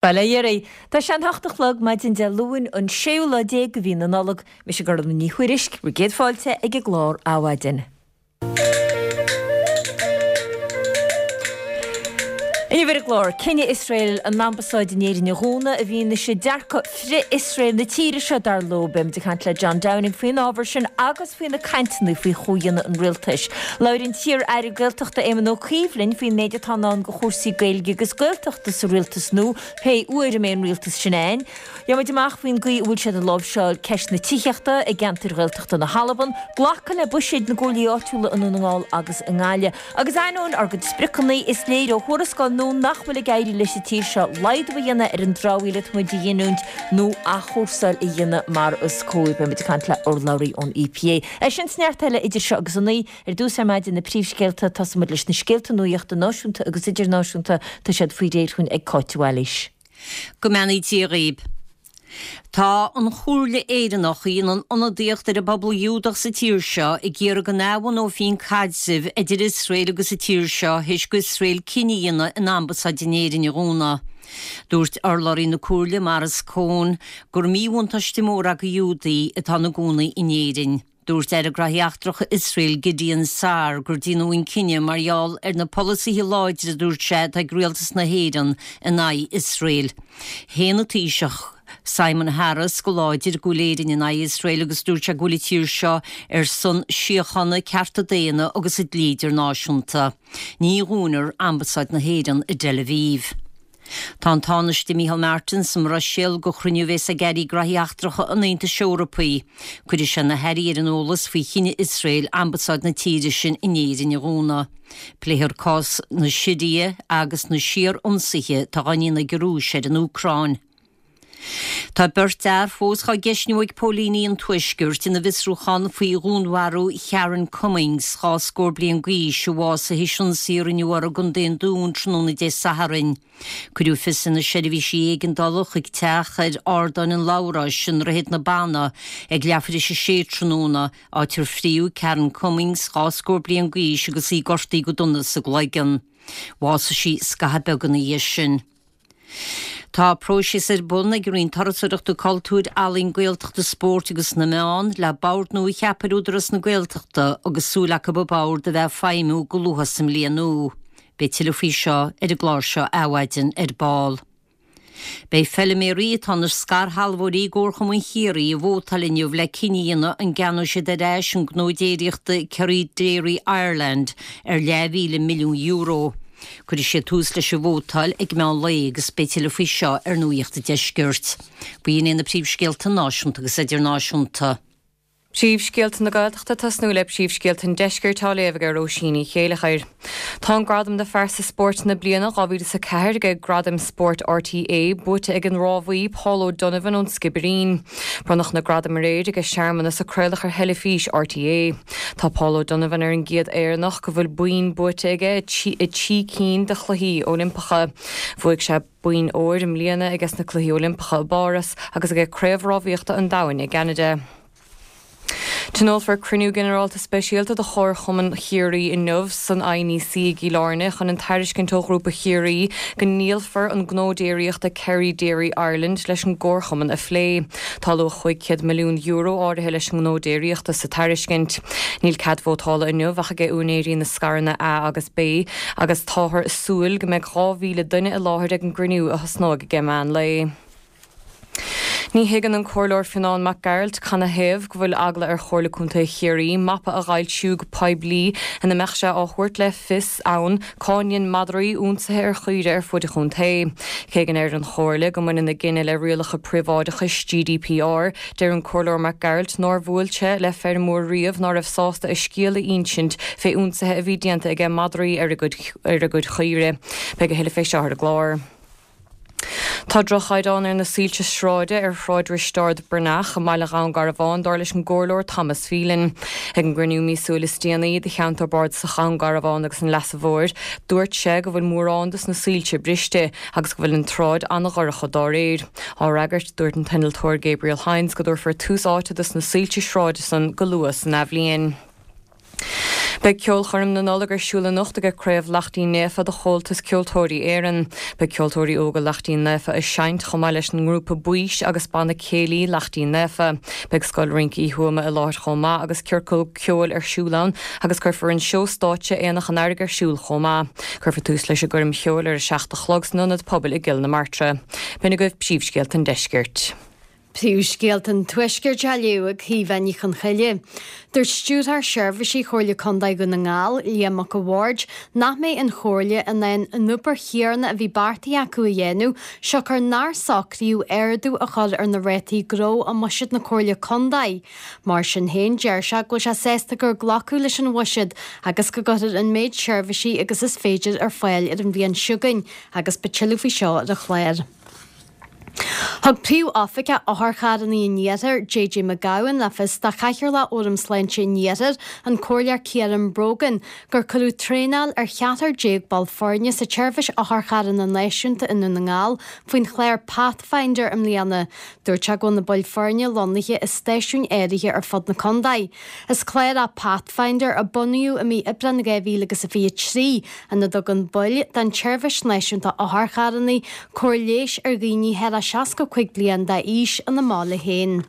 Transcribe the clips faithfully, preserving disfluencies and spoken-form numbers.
Bail ó Dhia oraibh. Tá sé an hocht a chlog maidin Dé Luain an séú lá déag de mhí na Nollag. Mise Gormfhlaith Ní Thuairisg, bhur gcéad fáilte ag an gclár Adhmhaidin. Inniu ar an gclár, cinneadh Iosrael an ambasáid in Éirinn a dhúnadh i bhfianaise dearcadh frith-Iosrael na tíre seo, dar leo. Beimid ag caint le John Downing faoin ábhar sin agus faoi na cainteanna faoi chomhdhéanamh an rialtais. Labhair an t-iar-aire Gaeltachta Éamon Ó Cuív linn faoin méid atá i ndán do chúrsaí Gaeilge agus Gaeltachta sa rialtas nua, pé uair a mbeidh an rialtas sin ann. Gheobhaimid amach faoin gcaoi a bhfuil siad ag láimhseáil ceist na tithíochta i gceantair Ghaeltachta na hAlban, glacadh le buiséid na gcomhairlí áitiúla i nDún na nGall agus i nGaillimh. Agus ainneoin ár gcuid spriocanna, is léir ó thuarascáil nua nach bhfuil ag éirí leis an tír seo laghdú a dhéanamh ar an dramhaíl atá muid a ghiniúint nó athchúrsáil a dhéanamh mar is cóir. Beimid ag caint le urlabhraí ón EPA. É sin is neart eile idir seo agus a naoi. Ar dtús ar maidin na príomhscéalta, tosóimid leis na scéalta nuachta náisiúnta agus idirnáisiúnta. Tá siad faoi réir chugainn ag Cáit de Bhailís. Go mbeannaí Dia dhaoib. Tá an Chomhairle Éireannach, a dhéanann ionadaíocht ar an bpobal Giúdach sa tír seo, ag iarraidh go n-athbhunófaí an caidreamh idir Iosrael agus an tír seo théis d'Iosrael cinneadh a dhéanamh an ambasáid in Éirinn a dhúnadh. Dúirt urlabhraí na Comhairle, Maurice Cohen, gur míbhuntáiste mór é do Ghiúdaigh atá ina gcónaí in Éirinn. Dúirt Aire Graithí Eachtracha Iosrael, Gideon Saar, gur déanadh an cinneadh mar gheall ar na polasaithe láidre a dúirt sé atá ag rialtas na hÉireann in aghaidh Iosrael. Shéan an Taoiseach, Simon Harris, go láidir go bhfuil Éirinn in aghaidh Iosrael agus dúirt sé go bhfuil an tír seo ar son síochána, cearta daonna agus an dlí idirnáisiúnta. Ní dhúnfar Ambasáid na hÉireann i dTel Aviv. Tá an Tánaiste Micheál Martin sa mBruiséil do chruinniú a bheas ag Airí Graithí Eachtracha an Aontais Eorpaigh. Cuirfidh sé na hairí ar an eolas faoi chinneadh Iosrael ambasáid na tíre sin in Éirinn a dhúnadh. Pléifear cás na Siria agus na síor-ionsaithe atá á ndéanamh ag an Rúis ar an Úcráin. Tá beirt fhear fós dhá gceistniú ag póilíní an Tuaiscirt ina bhfiosrúchán faoi dhúnmharú Sharon Cummings, dhá scór bliain d'aois, a bhásaigh théis ionsaí a rinneadh uirthi i gContae an Dúin tráthnóna Dé Sathairn. Cuireadh fios ar na seirbhísí éigeandála chuig teach ar Ardáin an Labhráis i nDroichead na Banna ag leathuair théis a sé tráthnóna, áit ar fríodh Karen Cummings, dhá scór bliain d'aois, agus í gortaithe go dona sa gcloigeann. Bhásaigh sí scaitheamh beag ina dhiaidh sin. Tá próiseas ar bun ag an Roinn Turasóireachta, Cultúir, Ealaíon, Gaeltachta, Spóirt agus na Meán le bord nua a cheapadh ar Údarás na Gaeltachta agus súil acu an bord a bheith ag feidhmiú go luath sa mbliain nua. Beidh tuilleadh faoi seo ar an gclár seo Adhmhaidin ar ball. Beidh feiliméaraí atá ina scairshealbhóirí i gComharchumann Chiarraí ag vótáil inniu le cinneadh a dhéanamh an gceannóidh siad ar ais an gnó déiríochta Kerry Dairy Ireland ar leathmhíle milliún euro. Cuirfidh siad tús leis an vótáil ag meán lae agus beidh tuilleadh faoi seo ar Nuacht an Deiscirt. B'in iad na príomhscéalta náisiúnta agus idirnáisiúnta. Príomhscéalta na Gaeltachta tosnú le príomhscéalta an Deiscirt á léamh ag Róisín Ní Chéileachair. Tá an gradam do phearsa spóirt na bliana dhá mhíle is a ceathair ag Gradaim Spóirt RTÉ buaite ag an rámhaí Paul O'Donovan ón Sciobairín. Bronnadh na gradaim aréir ag searmanas a craoladh ar theilifís RTÉ. Tá Paul O'Donovan ar an gcéad Éireannach go bhfuil boinn buaite aige i trí cinn de Chluichí Oilimpeacha. Bhuaigh sé boinn óir i mbliana aige sna Cluichí Oilimpeacha i bPáras agus aige Craobh Rámhaíochta an Domhain i gCeanada. Tionólfar cruinniú ginearálta speisialta de Chomharchumann Chiarraí inniu san INEC i gCill Airne chun an tairiscint ó Ghrúpa Chiarraí go ndíolfar an gnó déiríochta Kerry Dairy Ireland leis an gcomharchumann a phlé. Tá luach chúig chéad milliún euro áirithe leis an ngnó déiríochta sa tairiscint. Níl cead vótála inniu ach ag úinéirí na scaireanna A agus B agus táthar ag súil go mbeidh dhá mhíle duine i láthair ag an gcruinniú a thosnóidh ag meán lae. Ní thuigeann an Comhairleoir Fionán Mac Gearailt canathaobh go bhfuil eagla ar Chomhairle Contae Chiarraí mapa a fhoilsiú go poiblí ina mbeadh sé á thabhairt le fios ann cá ndein madraí ionsaithe ar chaoire ar fuaid an chontae. Cé go ndeir an Chomhairle go mbaineann a gcinneadh le rialacha príobháideachais GDPR, deir an Comhairleoir Mac Gearailt nár bhuail sé le feirmeoir riamh ná raibh sásta a scéal a insint fé ionsaithe a bhí déanta aige madraí ar a gcuid chaoire. Beidh a thuilleadh fé seo ar an gclár. Tá droch-chaighdeán ar na soilse sráide ar Shráid Risteárd Breathnach i mbaile Dhún Garbhán, dar leis an gComhairleoir Thomas Phelan. Ag an gcruinniú míosúil is déanaí de Cheantar Bardasach Dhún Garbhán agus an Leasa Mhóir, dúirt sé go bhfuil mórán dos na soilse briste agus go bhfuil an tsráid an-dhorcha dá réir. Á fhreagairt, dúirt an t-innealtóir Gabriel Hynes go dtabharfar tús áite dos na soilse sráide san go luath san athbhliain. Beidh ceolchoirm na Nollag ar siúl anocht ag Craobh Laichtín Naofa de Chomhaltas Ceoltóirí Éireann. Beidh ceoltóirí óga Laichtín Naofa ag seinnt chomh maith leis an ngrúpa Baois agus banna céilí Laichtín Naofa. Beidh Scoil Rince Uí Thuama i láthair chomh maith agus ciorcal ceoil ar siúl ann agus cuirfear an seó stáitse Aonach an Earraigh ar siúl chomh maith. Cuirfear tús leis an gcoirm cheoil ar a seacht a chlog san ionad pobail i gCill na Martra. B'in agaibh príomhscéalta an deiscirt. Príomhscéalta an Tuaiscirt á léamh ag Caoimhe Ní Chonchoille. Dúirt Stiúrthóir Seirbhísí Chomhairle Contae Dhún na nGall, Liam Mac a' Bhaird, nach mbeidh an Chomhairle in ann an obair chéanna a bhí beartaithe acu a dhéanamh siocair nár socraíodh ardú a chur ar na rátaí gnó i mbuiséad na Comhairle Contae. Mar sin féin, deir sé go bhfuil sé sásta gur glacadh leis an bhuiséad agus go gcuirfear an méid seirbhísí agus is féidir ar fáil ar an bhliain seo chugainn agus beidh tuilleadh faoi seo ar an chlár. Thug Príomh-Oifigeach Otharcharranna an Iarthair, JJ McGowan, le fios do Chathaoirleach Fhóram Sláinte an Iarthair, an Comhairleoir Ciarán Brogan, gur cuireadh traenáil ar cheathrar déag ball foirne sa tseirbhís otharcharranna náisiúnta i nDún na nGall faoin chlár Pathfinder i mbliana. Dúirt sé go bhfuil na baill foirne lonnaithe i stáisiúin áirithe ar fud na contae. Is clár é Pathfinder a bunaíodh i mí Aibreáin dhá mhíle agus a fiche a trí ina dtugann baill den tseirbhís náisiúnta otharcharranna cóir leighis ar dhaoine thar a seasca cúig bliain d'aois ina mbaile féin.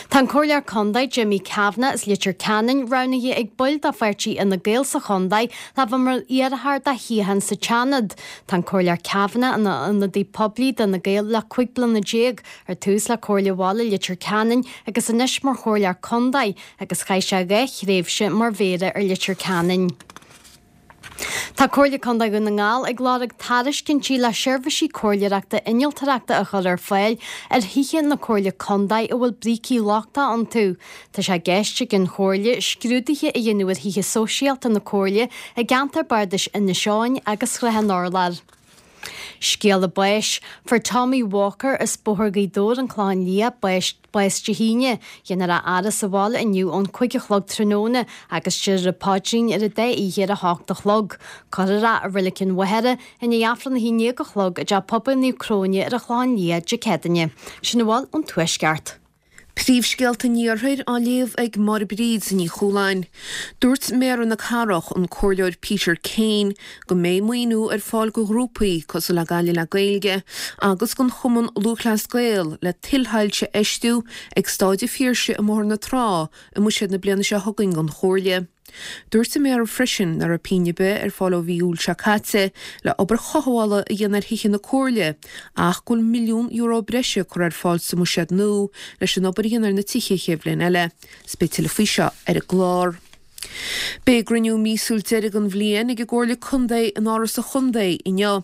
Tá an Comhairleoir Contae Jimmy Kavanagh as Leitir Ceanainn roghnaithe ag baill de pháirtí Fhine Gael sa chontae le bheith mar iarrthóir do shuíochán sa tSeanad. Tá an Comhairleoir Kavanagh ina ionadaí poiblí d'Fhine Gael le cúig bliana déag, ar tús le Comhairle Bhaile Leitir Ceanainn agus anois mar Chomhairleoir Contae agus chaith sé dhá thréimhse mar Mhéara ar Leitir Ceanainn. Tá Comhairle Contae Dhún na nGall ag lorg tairiscintí le seirbhísí comhairleoireachta innealtóireachta a chur ar fáil ar thithe na Comhairle Contae a bhfuil brící lochtacha iontu. Tá sé i gceist ag an Chomhairle scrúduithe a dhéanamh ar thithe sóisialta na Comhairle i gceantar bardais Inis Eoghain agus Shrath an Urláir. Scéala báis, Fuair Tommy Walker as Bóthar Ghaoth Dobhair, An Clochán Liath, bás bás Dé hAoine. Déanfar a fhaire sa bhaile inniu ón cúig a chlog tráthnóna agus déarfar an paidrín ar an dá oíche ar a hocht a chlog. Cuirfear é i Reilig an Mhachaire i ndiaidh Aifreann a haon déag a chlog i dTeach Pobail Naomh Cróine ar an Chlochán Liath Dé Céadaoine. Sin a bhfuil ón Tuaisceart. Príomhscéalta an Iarthair á léamh ag Máire Bríd Ní Chualáin. Dúirt Méara na Cathrach, an Comhairleoir Peter Kane, go mbeidh maoiniú ar fáil go ghrúpaí cosúil le Gaillimh le Gaeilge agus don Chumann Lúthchleas Gael le tuilshoilse a fheistiú ag Stáid an Phiarsaigh i mBóthar na Trá i mbuiséad na bliana seo chugainn don Chomhairle. Dúirt an Méara freisin nach raibh pingin ar bith ar fáil ó mhí Iúil seo caite le obair chothabhála a dhéanamh ar thithe na Comhairle ach go bhfuil milliún euro breise curtha ar fáil sa mbuiséad nua leis an obair a dhéanamh ar na tithe an chéad bhliain eile. 'S beidh tuilleadh faoi seo ar an gclár. Beidh a gcruinniú míosúil deiridh den bhliain ag an gComhairle Contae in Áras an Chontae inniu.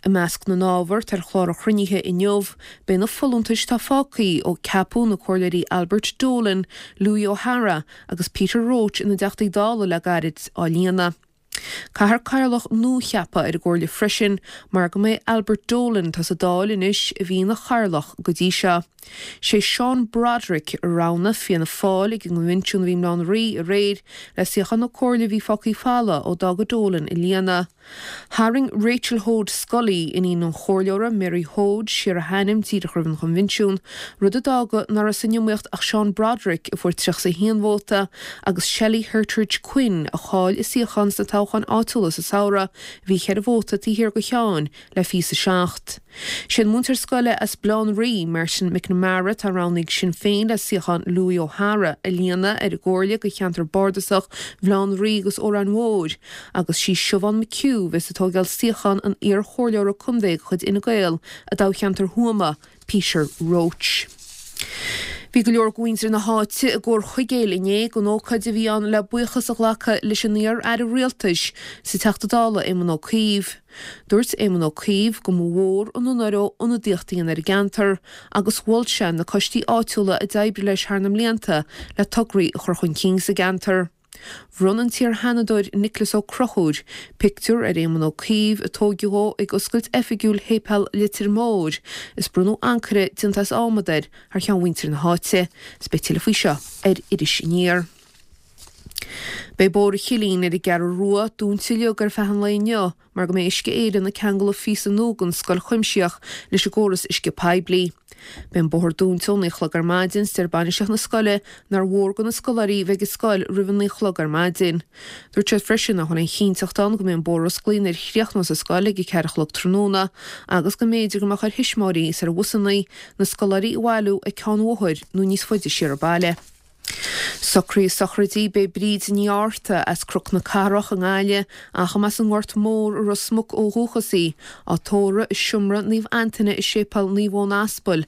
I measc na n-ábhar atá ar chlár an chruinnithe inniu, beidh na folúntais atá fágtha ó ceapadh na Comhairleoirí Albert Dolan, Louis O'Hara agus Peter Roche ina dTeachtaí Dála le gairid á líonadh. Caithfear cathaoirleach nua a cheapadh ar an gComhairle freisin mar go mbeidh Albert Dolan, atá sa Dáil anois, a bhí ina chathaoirleach go dtí seo. Sé Seán Broderick a roghnaigh Fianna Fáil ag an gconbhinsiún a bhí i mBaile Átha an Rí aréir le suíochán na Comhairle a bhí fágtha folamh ó d'fhága Dolan a líonadh. Tharraing Rachel Hoade Scully, iníon an Chomhairleora Mary Hoade, siar a hainm díreach roimh an choinbhinsiún, rud a d'fhága nach raibh san iomaíocht ach Seán Broderick, a fuair tríocha a haon vóta, agus Shelley Hertrich Quinn, a chaill a suíochán sna toghcháin áitiúla sa samhradh, a bhí ceithre vóta taobh thiar de Sheán, le fiche a seacht. Sé an múinteoir scoile as Baile Átha an Rí, Martin McNamara, atá roghnaithe ag Sinn Féin le suíochán Louis O'Hara a líonadh ar an gComhairle do cheantar bardasach Bhaile Átha an Rí agus Órán Mór, agus sí Siobhán McHugh a bheas ag tógáil suíochán an iar-chomhairleora contae de chuid Fhine Gael i dtoghcheantar Thuama, Peter Roche. Bhí go leor de mhuintir na háite i gComhar Chuigéil inné don ócáid a bhí ann le buíochas a ghlacadh leis an iar-aire rialtais is an Teachta Dála Éamon Ó Cuív. Dúirt Éamon Ó Cuív go mba mhór an onóir dó ionadaíocht a dhéanamh ar an gceantar agus mhol sé na coistí áitiúla a d'oibrigh leis thar na mblianta le tograí a chur chun cinn sa gceantar. Bhronn an t-iar-Sheanadóir Nioclás Ó Conchúir pictiúr ar Éamon Ó Cuív a tóigeadh dhó ag oscailt oifigiúil Shéipéal Leitir Móir is bronnadh ancaire déanta as adhmad air thar cheann mhuintir na háite. 'S beidh tuilleadh faoi seo ar Iris Aniar. Beidh Bóthar an Chillín ar an gCeathrú Rua dúnta uilig ar feadh an lae inniu mar go mbeidh Uisce Éireann ag ceangal phíosa nua den Scoil Chuimsitheach leis an gcóras uisce poiblí. Beidh an bóthar dúnta ón naoi a chlog ar maidin, is deir bainistíocht na scoile nár mhór do na scoláirí bheith ag an scoil roimh a naoi a chlog ar maidin. Dúirt siad freisin nach bhfuil aon chinnteacht ann go mbeidh an bóthar osclaithe nuair a chríochnós an scoil ag a ceathair a chlog tráthnóna agus go mb'fhéidir go mbeadh ar thuismitheoirí is ar bhusanna na scoláirí a bhailiú ag ceann an bhóthair nó níos faide siar an baile. Socruithe sochraide Beidh Bríd Ní Fhátharta as Cnoc na Cathrach i nGaillimh, ach ab as an nGort Mór i Ros Muc ó dhúchas í, á tórramh i Seomra Naomh Antaine i Séipéal Naomh Eoin Aspal,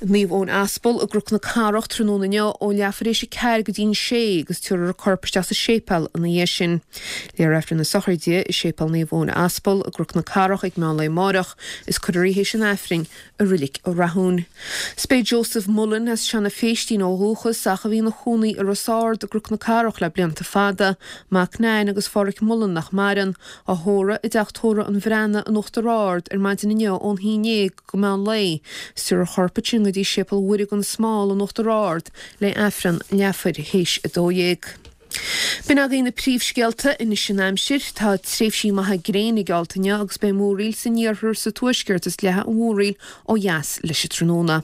Naomh Eoin Aspal i gCnoc na Cathrach tráthnóna inniu ó leathuair éis a ceathair go dtí an sé agus tabharfar a corp isteach sa séipéal ina dhiaidh sin. Léifear Aifreann na sochraide i Séipéal Naomh Eoin Aspal i gCnoc na Cathrach ag meán lae amáireach is cuirfear í théis an Aifrinn i Reilig Rathúin. 'S beidh Joseph Mullen as Seanadh Phéistín ó dhúchas ach a bhí ina chónaí i Ros Ard i gCnoc na Cathrach le blianta fada, mac Nan agus Pháraic Mullen nach maireann, á thórramh i dteach tórraimh an Bhreathnaigh in Uachtar Ard ar maidin inniu ón haon déag go meán lae. 'S tabharfar a chorp ansin go dtí Séipéal Mhuire gan Smál in Uachtar Ard le Aifreann leathuair théis a dó dhéag. B'in agaibh na príomhscéalta anois an aimsir. Tá tréimhsí maithe gréine geallta inniu agus beidh múraíl san iarthar, sa tuaisceart is leathfaidh an mhúraíl ó dheas leis an tráthnóna.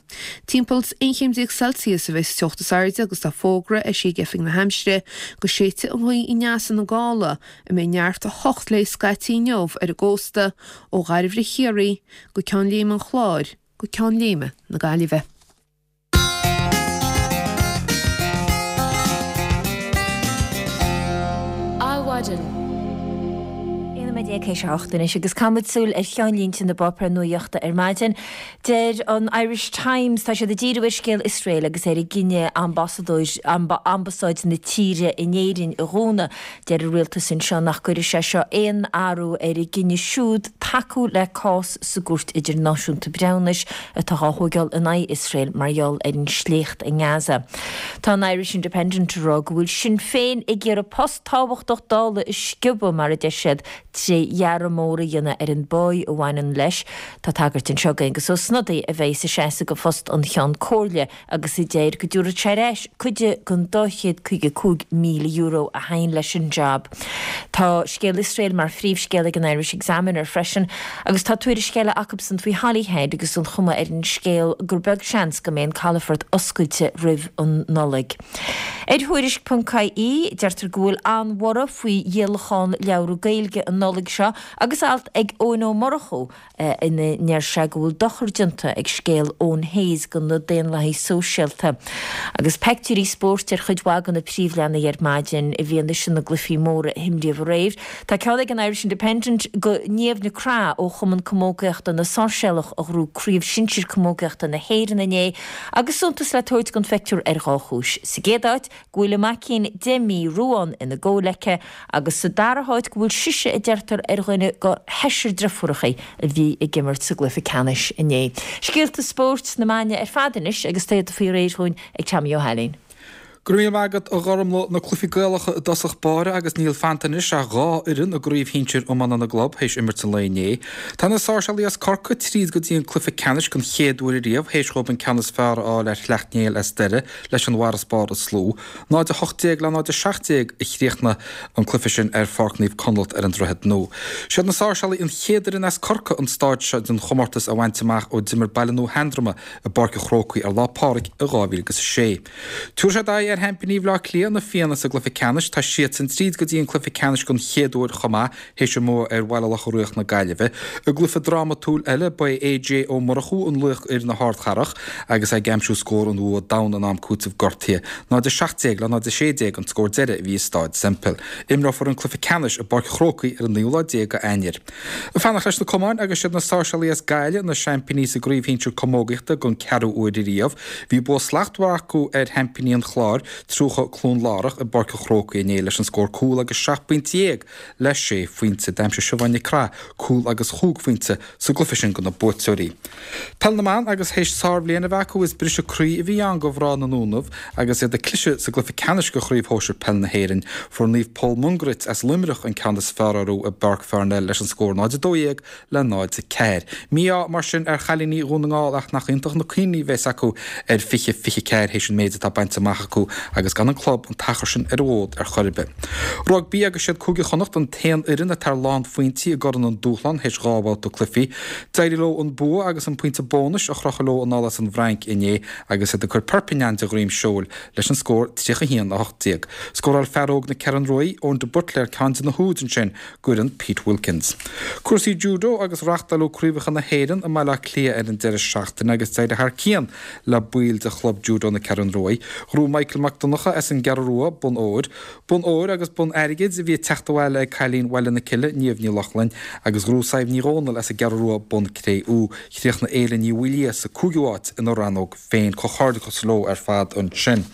Timpeall aon chéim déag Celsius a bheidh sa teocht is airde agus tá fógra eisithe ag Oifig na hAimsire go séidfidh an ghaoth aneas ina gála a mbeidh neart a hocht léi scaití inniu ar an gcósta ó Dhairbhre Chiarraí go Ceann Léime an Chláir go Ceann Léime na Gaillimhe. Adhmhaidin. Aon nóiméad déag théis a hocht anois agus caithfimid súil ar cheannlínte na bpáipéar nuaíochta ar maidin. Deir an Irish Times, tá siad ag díriú ar scéal Iosrael agus ar a gcinneadh ambasadóir, ambasáid na tíre in Éirinn a dhúnadh. Deir an rialtas anseo nach gcuirfidh sé seo aon athrú ar a gcinneadh siúd tacú le cás sa gCúirt Idirnáisiúnta Breithiúnais atá á thógáil in aghaidh Iosrael mar gheall ar an sléacht i nGaza. Tá an Irish Independent ag rá go bhfuil Sinn Féin ag iarraidh post tábhachtach Dála a sciobadh, mar a deir siad, tré ghearradh mór a dhéanamh ar an bpáí a bhaineann leis. Tá tagairt anseo d'Aengus Ó Snodaigh a bheidh sa seasamh do phost an Cheann Comhairle agus a deir go dtabharfadh sé ar ais cuid den dá chéad caoga cúig míle euro a théann leis an jab. Tá scéal Iosrael mar phríomhscéal ag an Irish Examiner freisin agus tá tuairisc eile acubsan faoi Holyhead agus an chuma ar an scéal gur beag seans go mbeidh an calafort oscailte roimh an Nollaig. Ar Thuairisc ponc ie, deirtear go bhfuil an-bhorradh faoi dhíolachán leabhra Gaeilge an Nollaig seo agus alt ag Eoin Ó Murchú ina ndeir sé go bhfuil dochar déanta ag scéal Eoin Hayes do na daonlathaigh sóisialta. Agus peictiúirí spóirt ar chuid mhaith de na príomhleathanaigh ar maidin i bhfianaise na gcluichí móra a himríodh aréir. Tá ceann ag an Irish Independent de Niamh Nic Craith ó Chumann Camógaíochta na Sáirséalach a ghnóthaigh Craobh Shinsir Camógaíochta na hÉireann inné agus suntas le tabhairt don phictiúr ar dhá chúis. Sa gcéad áit, go bhfuil a maicín deich mí, Ruán, ina gol aici agus sa dara háit go bhfuil sise a deirtear ar dhuine de sheisear deirfiúracha a bhí ag imirt sa gcluiche ceannais inné. Scéalta spóirt na maidine ar fad anois agus tá iad faoi réir dhúinn ag Tommy Ó hAilín. Go raibh míle maith agat, a Ghormlaith. Na cluichí Gaelacha i dtosach báire agus níl fanta anois ach dhá fhoireann i gCraobh Shinsir Iomána na gClub théis imirt an lae inné. Tá na Sáirséalaigh as Corcaigh tríd go dtí an cluiche ceannais den chéad uair ariamh théis dhóibh an ceann is fearr a fháil ar Shleacht Néill as Doire leis an bhfarasbarr is lú. náid a hocht déag le náid a seacht déag a chríochnaigh an cluiche sin ar Pháirc Naomh Conleth ar an Droichead Nua. Siad na Sáirséalaigh an chéad fhoireann as Corcaigh an stáid seo den chomórtas a bhaint amach ó d'imir Baile Nua Sheandroma i bPáirc an Chrócaigh ar Lá Pádraig i dhá mhíle agus a sé. Tabharfaidh siad aghaidh ar sheaimpíní Bhaile Átha Cliath, na Fianna, sa gcluiche ceannais. Tá siadsan tríd go dtí an cluiche ceannais den chéad uair chomh maith, théis a mbua ar Bhaile Locha Riach na Gaillimhe. I gcluiche drámatúil eile, ba é A J Ó Murchú an laoch fhir na hArdchathrach agus é ag aimsiú scór an bhua domhain in am cúitimh gortaithe. náid a seacht déag le náid a sé déag an scór deiridh a bhí i Stáid Semple. Imreofar an cluiche ceannais i bPáirc an Chrócaigh ar an naoú lá déag d'Eanáir. Ag fanacht leis na cumainn agus siad na Sáirséalaigh as Gaillimh na seaimpíní sa gcraobh shinsir camógaíochta den ceathrú uair ariamh. Bhí bua slachtmhar acu ar sheaimpíní an Chláir, tríocha Cluain Lárach, i bPáirc an Chrócaigh inné leis an scór cúl agus seacht bpointe dhéag le sé phointe. D'aimsigh Siobhán Nic Craith cúl agus chúig phointe sa gcluiche sin do na buaiteoirí. Peil na mBan agus théis sárbhliain a bheith acu is briseadh croí a bhí ann do mhná na nDúnaibh agus iad ag cliseadh sa gcluiche ceannais de Chraobh Shóisir Peil na hÉireann. Fuair Naomh Pól Mungairit as Luimneach an ceann is fearr orthu i bPáirc Pharnell leis an scór náid a dó dhéag le náid a ceathair. Mí-ádh mar sin ar chailíní Dhún na nGall ach nach iontach na cuimhní a bheas acu ar fiche fiche ceathair théis an méid atá bainte amach acu agus gan an club an t-achar sin ar an bhfód ar chor ar bith. Rugbaí agus siad Cúige Chonnacht an t-aon fhoireann atá ar lánphointí i gCorn an Dúshláin théis dhá bhabhta cluichí. D'éirigh leo an bua agus an pointe bónais a chrochadh leo anall as an bhFrainc inné agus iad ag cur Perpignan de dhroim seoil leis an scór tríocha a haon, a hocht déag. Scóráil fear óg na Ceathrún Rua, Eoin de Buitléar ceann de na húid ansin d'fhoireann Pete Wilkins. Cúrsaí Judo agus reáchtáladh Craobhacha na hÉireann i mBaile Átha Cliath ar an deireadh seachtaine agus d'éirigh thar cionn le baill de chlub Judo na Ceathrún Rua. Ghnóthaigh Michael Mac Donncha as an gCeathrú Rua bonn óir, bonn óir agus bonn airgid a bhí ag teacht abhaile ag cailín Bhaile na Cille, Niamh Ní Lochlainn, agus ghnóthaigh Sadhbh Ní Dhomhnaill as an gCeathrú Rua bonn cré-umha. Chríochnaigh Éile Ní Mhaoildhia sa cúigiú háit ina rannóg féin. Comhghairdeachas leo ar fad ansin.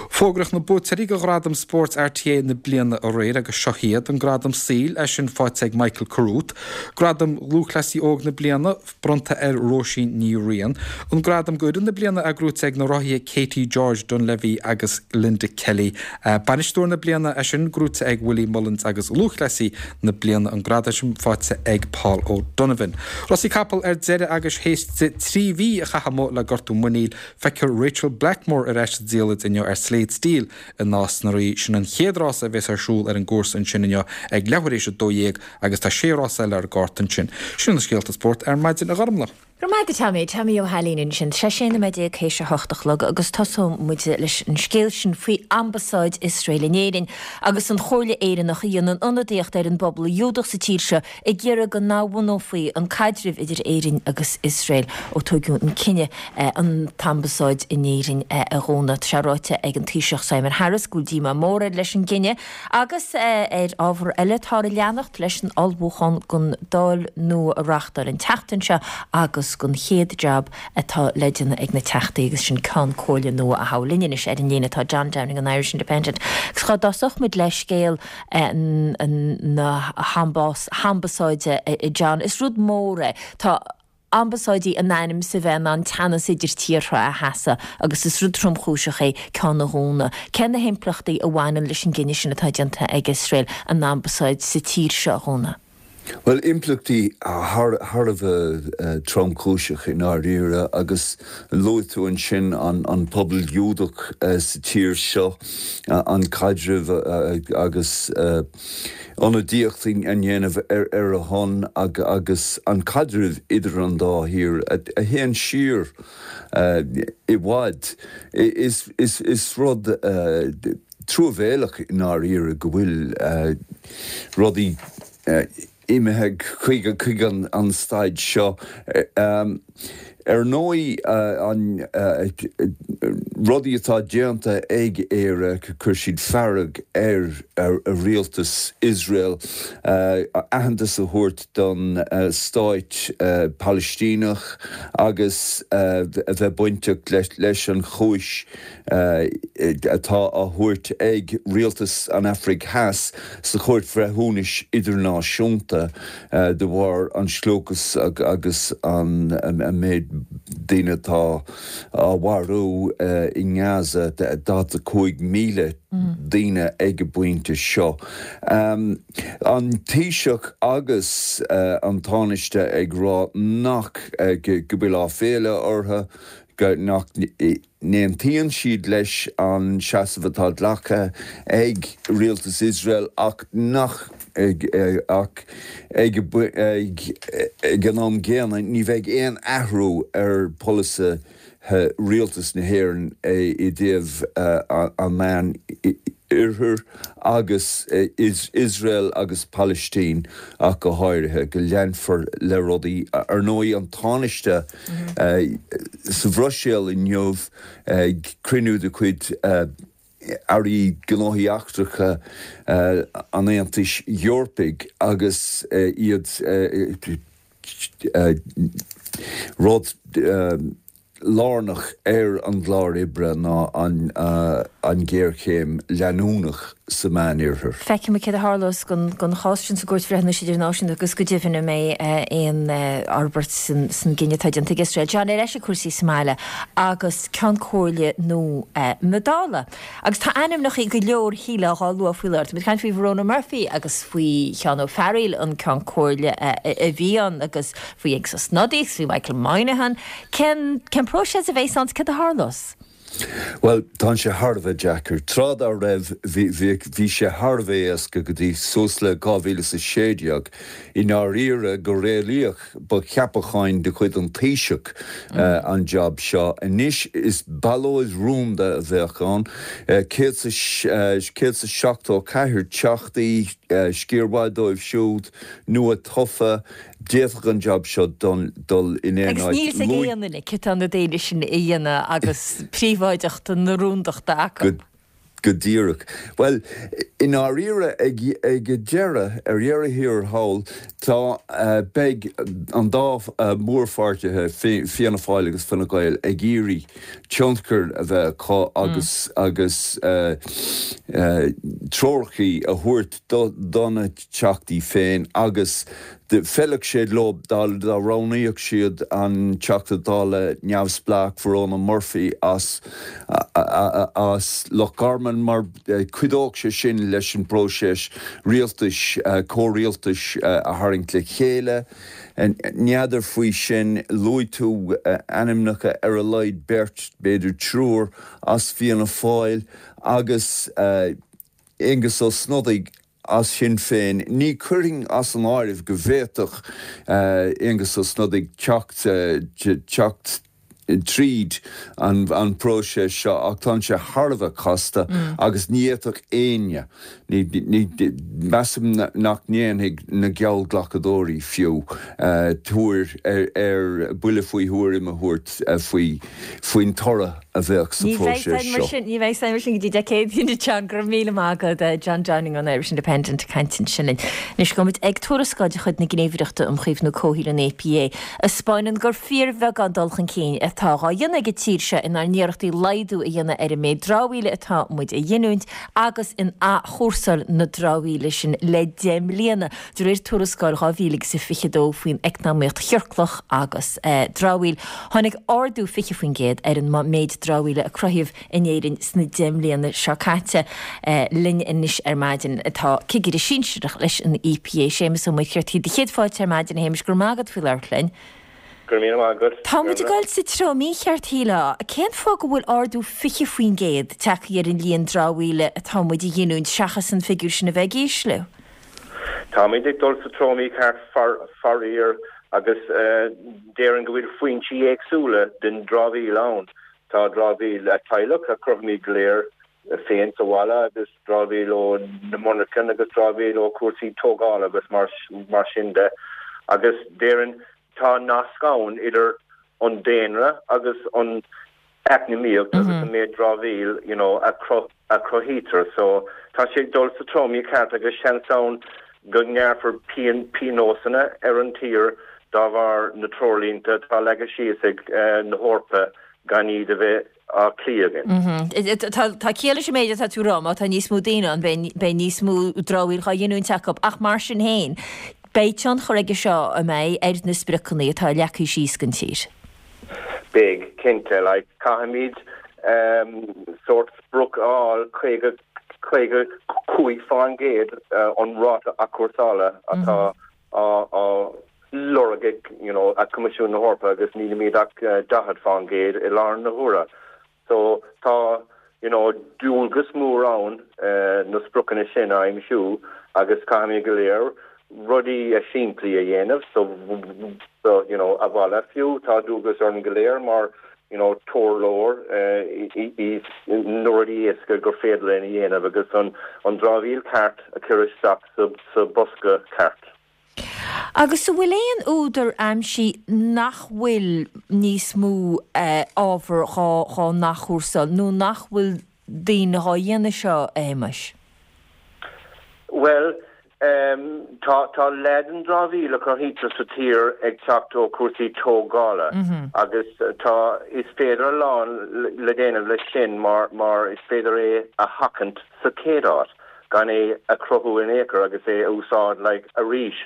Fógraíodh na buaiteoirí do Ghradam Spóirt RTÉ na bliana aréir agus seo iad, an Gradam Saoil, é sin faighte ag Michael Carruth, Gradam Lúthchleasaí Óg na Bliana bronnta ar Róisín Ní Riain, an Gradam d'Fhoireann na Bliana é gnóite ag na rothaithe Katie George Dunlevy agus Linda Kelly, Bainisteoir na Bliana, é sin gnóite ag Willie Mullins agus Lúthchleasaí na Bliana, an gradam sin faighte ag Paul O'Donovan. Rásaí capall ar deireadh agus théis di trí mhí a chaitheamh amuigh le gortú muiníl, feicfear Rachel Blackmore ar ais sa diallait inniu ar Slate Steel i Nás na Rí. Sin an chéad rása a bheas ar siúl ar an gcúrsa ansin inniu ag leathuair éis a dó dhéag agus tá sé rás eile ar an gcárta ansin. Sin na scéalta spóirt ar maidin, a Ghormlaith. Go raibh maith agat Tommy, Tommy Ó hAilín ansin. Sé sé nóiméad déag théis a hocht a chlog agus tosóidh muid leis an scéal sin faoi Ambasáid Iosrael in Éirinn agus an Chomhairle Éireannach a dhéanann ionadaíocht ar an bpobal Giúdach sa tír seo ag iarraidh go n-athbhunófaí an caidreamh idir Éirinn agus Iosrael ó tógadh an cinneadh an t-ambasáid in Éirinn a dhúnadh. Tá sé ráite ag an Taoiseach Simon Harris go bhfuil díomá mór air leis an gcinneadh agus ar ábhar eile táthar ag leanacht leis an ullmhúchán don Dáil nua a reáchtáil an tseachtain seo agus don chéad jab atá le déanamh ag na Teachtaí agus sin Ceann Comhairle nua a thoghadh. Linn anois ar an líne tá John Downing an Irish Independent. Agus dhá dtosódh muid le scéal na hambasáide John, is rud mór é. Tá ambasáidí in ainm is a bheith in ann teannas idir tíortha a sheasamh agus is rud tromchúiseach é ceann a dhúnadh. Cé na himpleachtaí a bhaineann leis an gcinneadh sin atá déanta ag Iosrael an ambasáid sa tír seo a dhúnadh? Bhuel, impleachtaí thar a bheith tromchúiseach i ndáiríre agus luaigh tú ansin an pobal Giúdach sa tír seo, an caidreamh agus ionadaíocht a dhéanamh ar a shon agus an caidreamh idir an dá thír a théann siar i bhfad. Is rud truamhéalach i ndáiríre go bhfuil rudaí imithe chuig an staid seo. Ar ndóigh, an rudaí atá déanta ag Éire, chuir siad fearg ar rialtas Iosrael, aitheantas a thabhairt don stáit Palaistíneach agus a bheith bainteach leis an chúis atá á thabhairt ag rialtas an Afraic Theas sa Chúirt Bhreithiúnais Idirnáisiúnta de bharr an slógadh agus an méid daoine atá á mharú i nGaza, daichead a cúig míle daoine ag an bpointe seo. An Taoiseach agus an Tánaiste ag rá nach go bhfuil áiféala orthu, nach n-aontaíonn siad leis an seasamh atá glactha ag rialtas Iosrael ach nach ach ag an am gcéanna ní bheidh aon athrú ar pholasaithe rialtas na hÉireann i dtaobh an Meán Oirthir agus Iosrael agus Palaistín ach go háirithe, go leanfar le rudaí. Ar ndóigh, an Tánaiste sa Bhruiséil inniu ag cruinniú de chuid Airí Gnóthaí Eachtracha an Aontais Eorpaigh agus iad rud lárnach ar an gclár oibre ná an ghéarchéim leanúnach sa Mheánoirthear. Feicfidh muid céard a tharlós don chás sin sa gCúirt Bhreithiúnais Idirnáisiúnta agus go deimhin an mbeidh aon fhorbairt san gcinneadh atá déanta ag Iosrael. John, ar ais ag cúrsaí sa mbaile agus Ceann Comhairle nua na Dála. Agus tá ainmneacha go leor shílfeá á lua faoi láthair. Tá muid ag caint faoi Verona Murphy agus faoi Sheán Ó Fearghaíl, an Ceann Comhairle a bhí ann agus faoi Aengus Ó Snodaigh agus faoi Michael Moynihan. Cén cén próiseas a bheas ann 's céard a tharlós? Bhuel, tá sé thar a bheith deacair. Tráth dá raibh, bhí sé thar a bheith éasca go dtí suas le dhá mhíle is a sé déag. I ndáiríre, go réalaíoch, ba cheapachán de chuid an Taoiseach an jab seo. Anois is ballóid rúnda a bheadh ann, céad is seachtó a ceathair teachtaí, sciar mhaith dóibh siúd nua-tofa, D'fhéadfadh an jab seo dul in aon Agus áit. níl a fhios ag aon duine cé tá na daoine sin a dhéanamh agus príobháideacht na rúndachta acu. Go díreach. Bhuel, i ndáiríre, ag ag deireadh, ar dheireadh thiar thall, tá, beidh an dá mhórpháirtithe, Fianna Fáil agus Fine Gael, ag iarraidh tionchar a bheith acu agus agus treorachaí a thabhairt do na teachtaí féin agus D'fheilfeadh sé leo dá roghnaíodh siad an Teachta Dála neamhspleách Verona Murphy as as Loch Garman mar chuideodh sé sin leis an bpróiseas rialtais, comhrialtais a tharraingt le chéile. N'fheadar faoi sin, luaigh tú ainmneacha ar a laghad beirt, b'fhéidir triúr, as Fianna Fáil agus Aengus Ó Snodaigh as Sinn Féin. Ní chuirfinn as an áireamh go bhféadfadh Aengus Ó Snodaigh teacht teacht tríd an bpróiseas seo ach tá sé thar a bheith casta agus ní fhéadfadh éinne, measaim nach ndéanfaidh na geallghlacadóirí fiú, tuar ar buille faoi thuairim a thabhairt faoi faoin toradh a bheadh sa Ní bheidh phróiseas mar seo. sin, ní bheidh mar sin go dtí Dé Céadaoin, a John. Go raibh míle maith agat, John Downing ón Irish Independent ag caint ansin linn. Anois gabhfaidh muid ag tuarascáil de chuid na Gníomhaireachta um Chaomhnú Comhshaoil, an E P A, a 'spáineann gur fíorbheagán dul chun cinn atá dhá dhéanamh ag an tír seo inár n-iarrachtaí laghdú a dhéanamh ar an méid dramhaíola atá muid a ghiniúint agus in athchúrsáil na dramhaíola sin le deich mbliana, de réir tuarascáil dhá mhíle agus a fiche dó faoin eacnamaíocht chiorclach agus dramhaíl. Tháinig ardú fiche faoin gcéad ar an méid dramhaíola a cruthaíodh in Éirinn sna deich mbliana seo caite. Linn anois ar maidin atá cigire sinsearach leis an E P A, Séamus Ó Muircheartaigh. Do chéad fáilte ar maidin, a Shéamais, go raibh maith agat faoi labhairt linn. Go raibh míle maith agat. Tá muid ag dul sa treo mícheart, shílfeá. Cén fáth go bhfuil ardú fiche faoin gcéad tagtha ar an líon dramhaíola atá muid a ghiniúint seachas an figiúr sin a bheith ag ísliú? Táimid ag dul sa treo mícheart faraor agus déarfainn go bhfuil foinsí éagsúla den dramhaíl ann. Tá dramhaíl teaghlach a chruthaímid go léir féin sa bhaile agus dramhaíl ó na monarchana agus dramhaíl ó chúrsaí tógála agus mar mar sin de. Agus déarfainn tá nasc ann idir an daonra agus an eacnamaíocht agus an méid dramhaíl you know, a a chruthaítear. So tá sé ag dul sa treo mícheart agus seans ann go ngearrfar pionósanna ar an tír dá bharr na treoirlínte atá leagtha síos ag na hEorpa gan iad a bheith á cloí againn. Tá ciall leis an méid atá tú a rá, má tá níos mó daoine ann beidh níos mó dramhaíl dhá ghiniúint acu ach mar sin féin beidh tionchar aige seo an mbeidh ar na spriocanna atá leagtha síos don tír. Beidh, cinnte, like caithfimid sórt sprioc a fháil caoga caoga cúig faoin gcéad an ráta athchúrsála atá á á lorg ag you know ag Coimisiún na hEorpa agus nílimid ach daichead faoin gcéad i láthair na huaire. So tá you know dualgas mór ann na spriocanna sin a aimsiú agus caithfimid go léir rudaí simplí a dhéanamh so so you know a bhaile fiú tá dualgas orainn go léir mar you know tabhair leor na rudaí éasca gur féidir linn a dhéanamh agus an an dramhaíl ceart a chur isteach sa sa bosca ceart. Agus an bhfuil aon údar aimsithe nach bhfuil níos mó ábhar dhá dhá n-athchúrsáil nó nach bhfuil daoine dhá dhéanamh seo, a Shéamais? Bhuel, tá tá leath den dramhaíl a chruthaítear sa tír ag teacht ó chúrsaí tógála agus tá is féidir a lán le déanamh leis sin mar mar is féidir é a sheachaint sa chéad áit gan é a chruthú in aon chor agus é a úsáid like arís.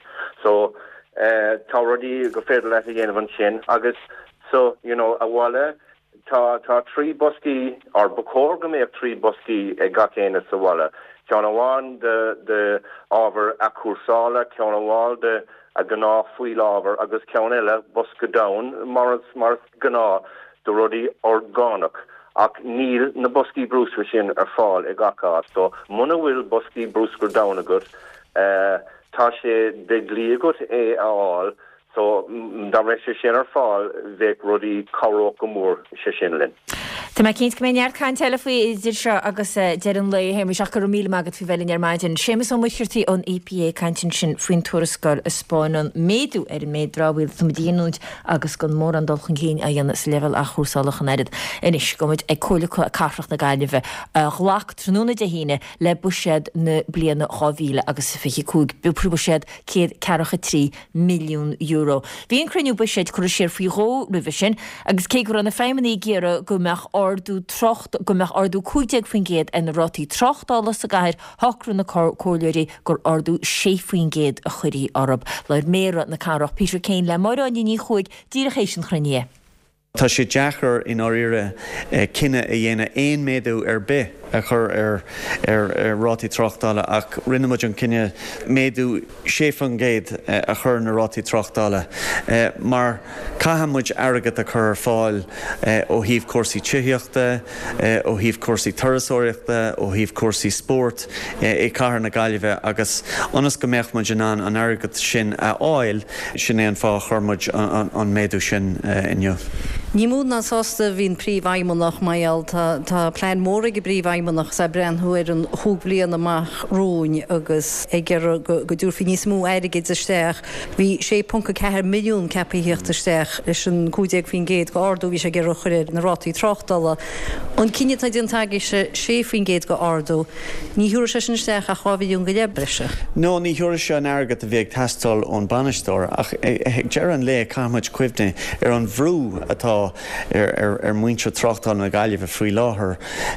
So tá rudaí go féidir leat a dhéanamh ansin agus so you know a bhaile tá tá trí boscaí or ba chóir go mbeadh trí boscaí ag gach éinne sa bhaile. Ceann amháin de de ábhar athchúrsála, ceann amháin de a gnáth fuíollábhar agus ceann eile bosca donn mar is mar is gnáth de rudaí orgánach Ach níl na boscaí bruscair sin ar fáil i gach áit, so muna bhfuil boscaí bruscair donn agat, uh, tá sé de dhlí agat é a fháil, so dá mbeadh sé sin ar fáil bheadh rudaí cabhródh go mór sé sin linn. Tá mé cinnte go mbeidh neart caint eile faoi idir seo agus deireadh an lae Shéamais ach go raibh míle maith agat faoi bheith linn ar maidin. Séamus Ó Muircheartaigh ón EPA ag caint ansin faoin tuarascáil a spáineann méadú ar an méid dramhaíl atá muid a ghiniúint agus gan mórán dul chun cinn á dhéanamh sa leibhéal athchúrsála ach an oiread. Anois gabhfaidh muid ag Comhairle Cathrach na Gaillimhe a ghlac tráthnóna Dé hAoine le buiséad na bliana dhá mhíle agus fiche cúig. Buiséad céad ceathracha trí milliún euro. Bhí an cruinniú buiséid curtha siar faoi dhó roimhe sin agus cé go raibh na feidhmeannaigh ag iarraidh go mbeadh ardú trácht go mbeadh ardú cúig déag faoin gcéad ar na rátaí tráchtála sa gcathair, shocraigh na comhairleoirí gur ardú sé faoin gcéad a chuirfí orthu. Labhair Méara na cathrach Peter Kane le Máire Áine Ní Chuaig díreach théis an chruinnithe. Tá sé deacair i ndáiríre cinneadh a dhéanamh aon méadú ar bith a chur ar ar ar rátaí tráchtála ach rinne muid an cinneadh méadú sé faoin gcéad a chur na rátaí tráchtála mar caithfidh muid airgead a chur ar fáil ó thaobh cúrsaí tithíochta, ó thaobh cúrsaí turasóireachta, ó thaobh cúrsaí spóirt i cathair na Gaillimhe agus ionas go mbeadh muid in ann an airgead sin a fháil, sin é an fáth a chuir muid an méadú sin inniu. Ní mó ná sásta a bhí an príomhfheidhmeannach mar gheall tá tá plean mór ag an bpríomhfheidhmeannach is é breathnú ar an chúig bliana amach romhainn agus ag iarraidh go go dtabharfaí níos mó airgid isteach. Bhí sé ponc a ceathair milliún ceaptha a theacht isteach leis an cúig déag faoin gcéad go ardú bhí sé ag iarraidh a chur ar na rátaí tráchtála. An cinneadh atá déanta agaibhse sé faoin gcéad go ardú, ní thabharfaidh sé sin isteach ach dhá mhilliún go leith breise. No, ní thabharfaidh sé an airgead a bhí ag teastáil ón bainisteoir ach ag deireadh an lae caithfidh muid cuimhneamh ar an bhrú atá ar ar muintir tráchtála na Gaillimhe faoi láthair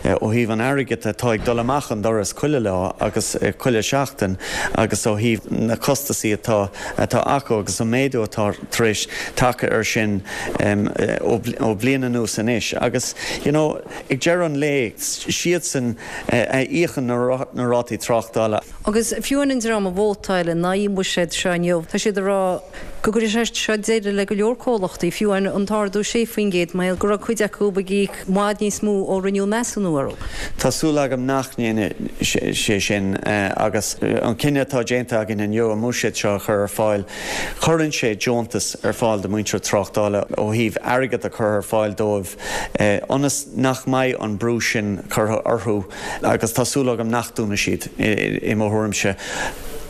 ó thaobh an airgid atá ag dul amach an doras chuile lá agus chuile seachtain agus ó thaobh na costasaí atá atá acu agus an méadú atá tar éis teacht air sin ó bhliain anuas anois agus you know ag deireadh an lae siadsan a íocann na rátaí tráchtála. Agus fiú an dream a vótáil in aghaidh an bhuiséid seo inniu, tá siad ag rá go gcuirfidh sé seo deireadh le go leor comhlachtaí, fiú an t-ardú sé faoin gcéad, mar go raibh cuid acu ag íoc i bhfad níos mó ó rinneadh measúnú orthu. Tá súil agam nach ndéanfaidh sé sin agus an cinneadh atá déanta againn inniu an buiséad seo a chur ar fáil, cuireann sé deontas ar fáil do mhuintir tráchtála ó thaobh airgead a chur ar fáil dóibh ionas nach mbeidh an brú sin curtha orthu agus tá súil agam nach dúnfaidh siad i mo thuairimse.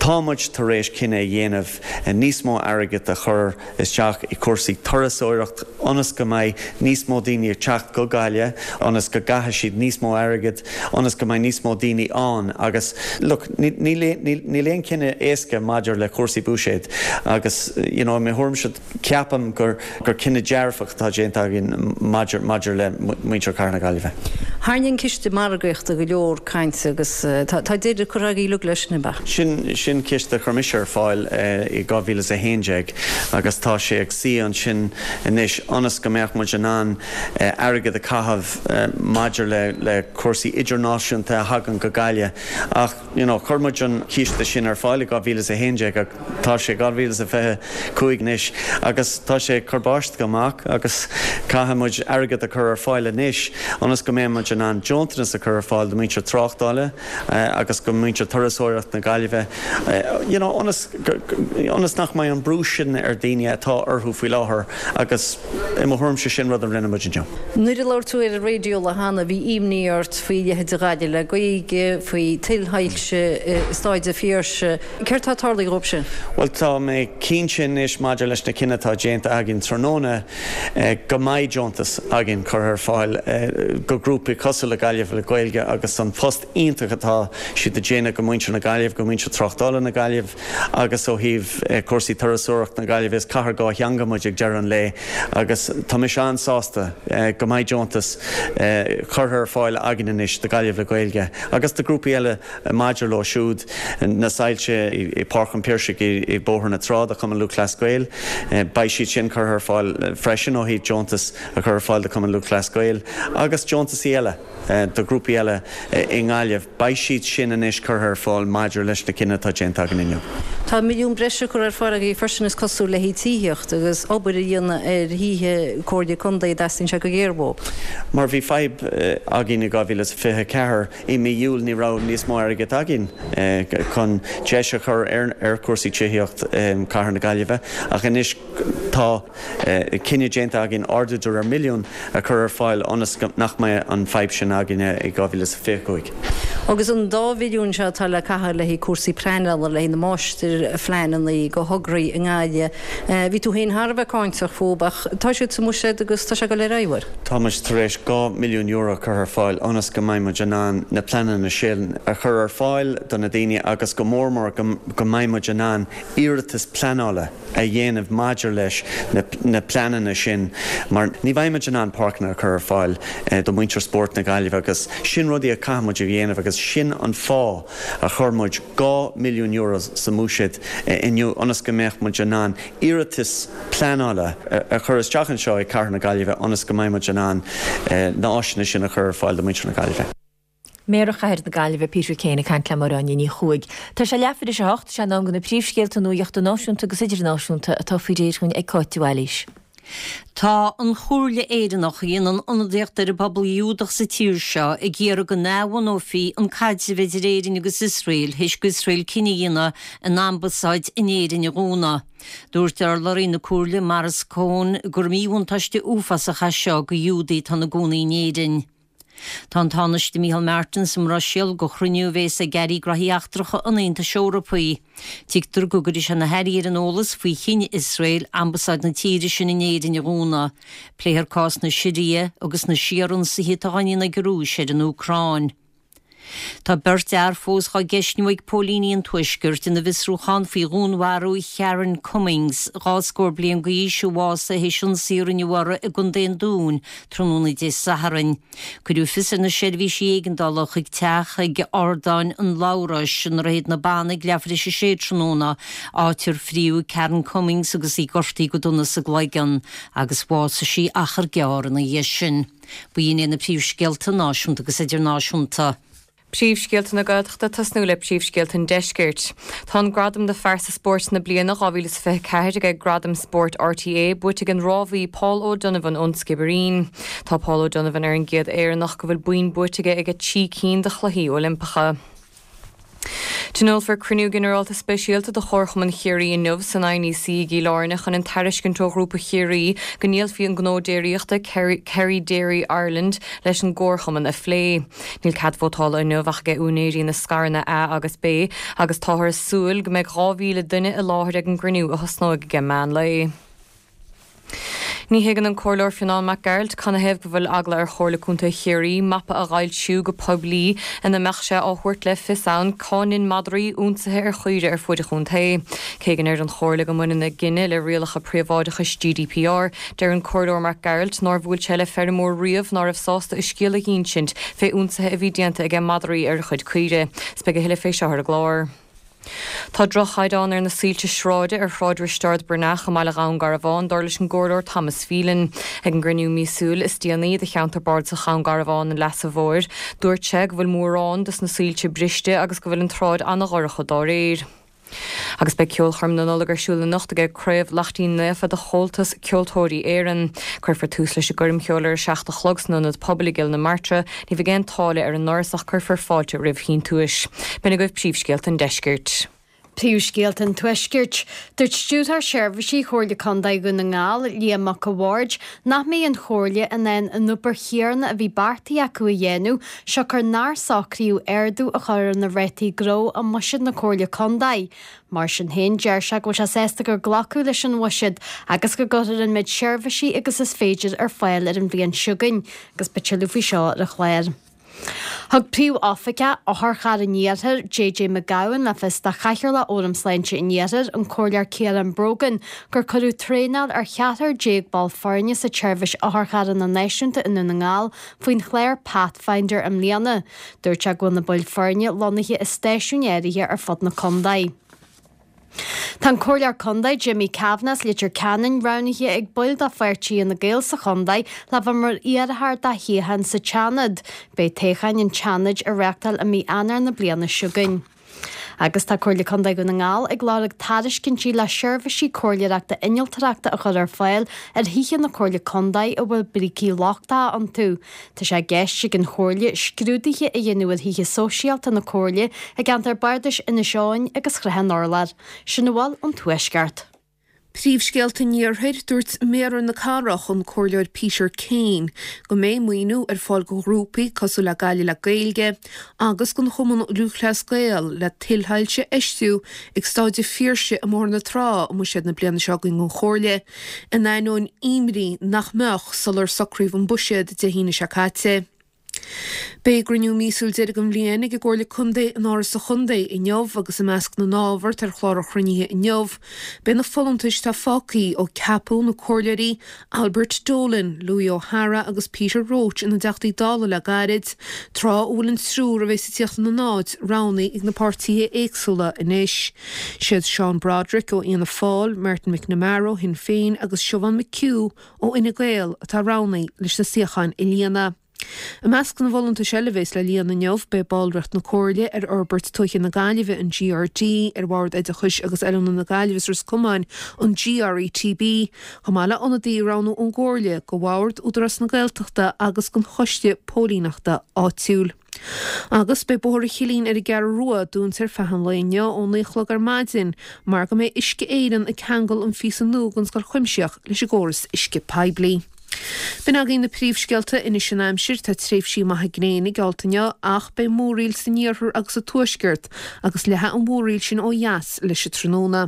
Tá muid tar éis cinneadh a dhéanamh níos mó airgid a chur isteach i cúrsaí turasóireacht ionas go mbeidh níos mó daoine ag teacht go Gaillimh, ionas go gcaithfidh siad níos mó airgid, ionas go mbeidh níos mó daoine ann agus look, níl níl aon cinneadh éasca maidir le cúrsaí buiséid agus you know, i mo thuairimse ceapaim gur gur cinneadh dearfach atá déanta againn maidir maidir le muintir Chathair na Gaillimhe. Tharraing an ciste margaíochta go leor cainte agus tá deireadh curtha agaibh uilig leis sin, ab ea? Sin sin ciste a chuir mise ar fáil i dhá mhíle is a haon déag agus tá sé ag suí ansin anois ionas go mbeadh muid in ann airgead a chaitheamh maidir le le cúrsaí idirnáisiúnta a thagann go Gaillimh ach you know chuir muid an ciste sin ar fáil i dhá mhíle is a haon déag ach tá sé dhá mhíle is a fiche cúig anois agus tá sé ag cur báisteach amach agus caithfidh muid airgead a chur ar fáil anois ionas go mbeidh muid in ann deontas a chur ar fáil do muintir tráchtála agus go muintir turasóireacht na Gaillimhe you know ionas ionas nach mbeidh an brú sin ar daoine atá orthu faoi láthair agus i mo thuairimse sin rud a rinne muid inniu. Nuair a labhair tú ar an raidió lá cheana bhí imní ort faoi leithéid de Ghaillimh le Gaeilge, faoi tuilshoilse i Staid an Phiarsaigh. Céard tá tarlaithe dhóibh sin? Bhuel tá mé cinnte anois maidir leis na cinntí atá déanta againn tráthnóna go mbeidh deontas againn curtha ar fáil go grúpaí cosúil le Gaillimh le Gaeilge agus an post iontach atá siad ag déanamh go muintir na Gaillimh, go muintir tráchtála na Gaillimh agus ó thaobh cúrsaí turasóireacht na Gaillimhe is cathair dhá theanga muid ag deireadh an lae agus tá mise an-sásta go mbeidh deontas curtha ar fáil againn anois do Gaillimh le Gaeilge agus do grúpaí eile maidir leo siúd na soilse i Páirc an Phiarsaigh i Bóthar na Trá do Chumann Lúthchleas Gael. Beidh siad sin curtha ar fáil freisin ó thaobh deontas a chur ar fáil do Chumann Lúthchleas Gael agus deontasaí eile do grúpaí eile i nGaillimh. Beidh siad sin anois curtha ar fáil maidir leis na cinntí atá déanta againn inniu. Tá milliún breise curtha ar fáil agaibh freisin is cosúil le haghaidh tithíocht agus obair a dhéanamh ar thithe Comhairle Contae a dteastaíonn sé go géar uathu. Mar bhí fadhb againn i dhá mhíle is fiche a ceathair, i mí Iúil ní raibh níos mó airgid againn chun deis a chur ar chúrsaí tithíocht Cathair na Gaillimhe ach anois tá cinneadh déanta againn ardú de réir milliún a chur ar fáil ionas nach mbeidh an fadhb sin againne i dhá mhíle is fiche a cúig. Agus an dá mhilliún seo atá le caitheamh le haghaidh cúrsaí pleanála, le haghaidh na máistirphleananna do thograí i nGaillimh, bhí tú féin thar a bheith cáinteach fúthu ach tá siad sa mbuiséad agus tá sé ag dul ar aghaidh. Tá muid tar éis dhá mhilliún euro a chur ar fáil ionas go mbeidh muid in ann na pleananna sin a chur ar fáil do na daoine agus go mór mór go mbeidh muid in ann iarratas pleanála a dhéanamh maidir leis na pleananna sin mar ní bheidh muid in ann páirceanna a chur ar fáil do mhuintir spóirt na Gaillimhe agus sin rudaí a chaithfidh muid a dhéanamh agus sin an fáth a chuir muid dhá milliún euro sa mbuiséad inniu ionas go mbeadh muid in ann iarratas pleanála a chur isteach anseo i gCathair na Gaillimhe ionas go mbeidh muid in ann na áiseanna sin a chur ar fáil do mhuintir na Gaillimhe. Méara Chathair na Gaillimhe Peter Kane ag caint le Máire Áine Ní Chuaig. Tá sé leathuair tar éis a hocht, sé an am do na príomhscéalta nuachta náisiúnta agus idirnáisiúnta atá faoi réir dhúinn ag Cáit de Bhailís. Tá an Chomhairle Éireannach a dhéanann ionadaíocht ar an bpobal Giúdach sa tír seo ag iarraidh go n-athbhunófaí an caidreamh idir Éirinn agus Iosrael théis d'Iosrael cinneadh a dhéanamh a n-ambasáid in Éirinn a dhúnadh. Dúirt urlabhraí na Comhairle, Maurice Cohen, gur míbhuntáiste uafásach é seo do Ghiúdaigh atá ina gcónaí in Éirinn. Tá an Tánaiste Micheál Martin sa mBruiséil do chruinniú a bhéas ag Airí Gnóthaí Eachtracha an Aontais Eorpaigh. Tuigtear go gcuirfidh sé na hairí ar an eolas faoi chinneadh Iosrael ambasáid na tíre sin in Éirinn a dhúnadh. Pléifear cás na Siria agus na síorionsaithe atá á ndéanamh ag an Rúis ar an Úcráin. Tá beirt fhear fós dhá gceistniú ag póilíní an Tuaiscirt ina bhfiosrúchán faoi dhúnmharú Sharon Cummings, dhá scór bliain d'aois, a bhásaigh théis ionsaí a rinneadh uirthi i gContae an Dúin tráthnóna Dé Sathairn. Cuireadh fios ar na seirbhísí éigeandála chuig teach ag Ardáin an Labhráis i nDroichead na Banna ag leathuair tar éis a sé tráthnóna, áit ar fríodh Karen Cummings agus í gortaithe go dona sa gcloigeann, agus bhásaigh sí achar gearr ina dhiaidh sin. B'in iad na príomhscéalta náisiúnta agus idirnáisiúnta. Príomhscéalta na Gaeltachta tosnú le príomhscéalta an Deiscirt. Tá an gradam do Phearsa Spóirt na Bliana dhá mhíle is fiche a ceathair aige Gradaim Spóirt RTÉ buaite ag an rámhaí Paul O'Donovan ón Sciobairín. Tá Paul O'Donovan ar an gcéad Éireannach go bhfuil boinn buaite aige ag trí cinn de Chluichí Oilimpeacha. Tionólfar cruinniú ginearálta speisialta de Chomharchumann Chiarraí inniu san INEC i gCill Airne chun an tairiscint ó Ghrúpa Chiarraí go ndíolfaí an gnó déiríochta Kerry Dairy Ireland leis an gComharchumann a phlé. Níl cead vótála inniu ach ag úinéirí na scaireanna A agus B agus táthar ag súil go mbeidh dhá mhíle duine i láthair ag an gcruinniú a thosnóidh ag meán lae. Ní thuigeann an Comhairleoir Fionán Mac Gearailt canathaobh go bhfuil eagla ar Chomhairle Contae Chiarraí mapa a fhoilsiú go poiblí ina mbeadh sé á thabhairt le fios ann cá ndein madraí ionsaithe ar chaoirigh ar fuaid an chontae. Cé go ndeir an Chomhairle go mbaineann a gcinneadh le rialacha príobháideachais G D P R, deir an Comhairleoir Mac Gearailt nár bhuail sé le feirmeoir riamh ná raibh sásta a scéal a dh'insint fé ionsaithe a bhí déanta aige madraí ar a chuid caoirigh. 'S beidh a thuilleadh fé seo ar an gclár. Tá droch-chaighdeán ar na soilse sráide ar Shráid Risteard Breathnach i mbaile Dhún Garbhán, dar leis an gComhairleoir Thomas Phelan. Ag an gcruinniú míosúil is déanaí de Cheantar Bardasach Dhún Garbhán an Leasa Mhóir, dúirt sé go bhfuil mórán dos na soilse briste agus go bhfuil an tsráid an-dhorcha dá réir. Agus beidh ceolchoirm na Nollag ar siúl anocht aige Craobh Laichtín Naofa de Chomhaltas Ceoltóirí Éireann. Cuirfear tús leis an gcoirm cheoil ar a seacht a chlog san Ionad Pobail i gCill na Martra. Ní bheidh aon táille ar an ndoras ach cuirfear fáilte roimh shíntiúis. B'in agaibh príomhscéalta an Deiscirt. Príomhscéalta an Tuaiscirt. Dúirt Stiúrthóir Seirbhísí Chomhairle Contae Dhún na nGall, Liam Mac a' Bhaird, nach mbeidh an Chomhairle in ann an obair chéanna a bhí beartaithe acu a dhéanamh siocair nár socraíodh ardú a chur ar na rátaí gnó i mbuiséad na Comhairle Contae. Mar sin féin, deir sé go bhfuil sé sásta gur glacadh leis an bhuiséad agus go gcuirfear an méid seirbhísí agus is féidir ar fáil ar an bhliain seo chugainn agus beidh tuilleadh faoi seo ar an chlár. Thug Príomh-Oifigeach Otharcharr an Iarthair, J J McGowan, le fios do Chathaoirleach Fhóram Sláinte an Iarthair, an Comhairleoir Ciarán Brogan, gur cuireadh traenáil ar cheathrar déag ball foirne sa tseirbhís otharcharranna náisiúnta i nDún na nGall faoin chlár Pathfinder i mbliana. Dúirt sé go bhfuil na baill foirne lonnaithe i stáisiúin áirithe ar fud na contae. Tá an Comhairleoir Contae Jimmy Kavanagh as Leitir Ceanainn roghnaithe ag baill de pháirtí Fhine Gael sa chontae le bheith mar iarrthóir do shuíochán sa tSeanad. Beidh toghcháin an tSeanaid á reáchtáil i mí Eanáir na bliana seo chugainn. Agus tá Comhairle Contae Dhún na nGall ag lorg tairiscintí le seirbhísí comhairleoireachta innealtóireachta a chur ar fáil ar thithe na Comhairle Contae a bhfuil brící lochtacha iontu. Tá sé i gceist ag an Chomhairle scrúduithe a dhéanamh ar thithe sóisialta na Comhairle i gceantar Bardais Inis Eoghain agus Shrath an Urláir. Sin a bhfuil ón Tuaisceart. Príomhscéalta an Iarthair, Dúirt Méara na Cathrach, an Comhairleoir Peter Kane, go mbeidh maoiniú ar fáil do ghrúpaí cosúil le Gaillimh le Gaeilge agus don Chumann Lúthchleas Gael le tuilshoilse a fheistiú ag Staid an Phiarsaigh i mBóthar na Trá i mbuiséad na bliana seo chugainn don Chomhairle, in ainneoin imní nach mbeadh sular socraíodh an buiséad Dé hAoine seo caite. Beidh a gcruinniú míosúil deiridh den bhliain ag an gComhairle Contae in Áras an Chontae inniu agus i measc na n-ábhar atá ar chlár an chruinnithe inniu beidh na folúntais atá fágtha ó ceapadh na comhairleoirí Albert Dolan, Louis O'Hara agus Peter Roche ina dTeachtaí Dála le gairid, tráth a bhfuil an triúr a bheas ag tíocht ina n-áit roghnaithe ag na páirtithe éagsúla anois. Siad Seán Broderick ó Fhianna Fáil, Martin McNamara ó Shinn Féin agus Siobhán McHugh ó Fhine Gael atá roghnaithe leis na suíocháin a líonadh. I measc na bhfolúntais eile a bheas le líonadh inniu, beidh ballraíocht na Comhairle ar Fhorbairt Tuaithe na Gaillimhe, an GRD, ar Bhord Oideachais agus Oiliúna na Gaillimhe is Ros Comáin, an GRETB, chomh maith le ionadaí a roghnú ón gComhairle go Bhord Údarás na Gaeltachta agus don Choiste Póilíneachta Áitiúil. Agus beidh Bóthar an Chillín ar an gCeathrú Rua dúnta ar feadh an lae inniu ó naoi a chlog ar maidin mar go mbeidh Uisce Éireann ag ceangal an phíosa nua den Scoil Chuimsitheach leis an gcóras uisce poiblí. B'in againn na príomhscéalta anois an aimsir. Tá tréimhsí maithe gréine geallta inniu ach beidh múraíl san iarthar agus sa tuaisceart agus leathfaidh an mhúraíl sin ó dheas leis an tráthnóna.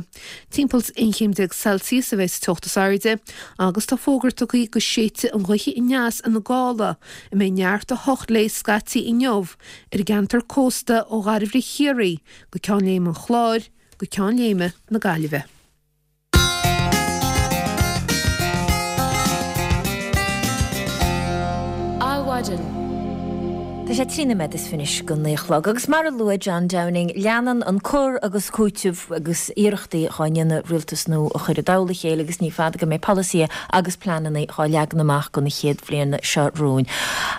Timpeall aon chéim déag Celsius a bheidh sa teocht is airde agus tá fógra tugtha go séidfidh an ghaoth aneas ina gála a mbeidh neart a hocht léi scaití inniu ar an gceantar cósta ó Ghairbhith Chiarraí go Ceann Léime an Chláir go Ceann Léime na Gaillimhe. Adhmhaidin. Tá sé trí nóiméad is fiche anois go naoi a chlog agus mar a luaigh John Downing, leanann an cur agus cúiteamh agus iarrachtaí dhá ndéanamh rialtas nua a chur i dtoll a chéile agus ní fada go mbeidh polasaithe agus pleananna dhá leagan amach don chéad bhliain seo romhainn.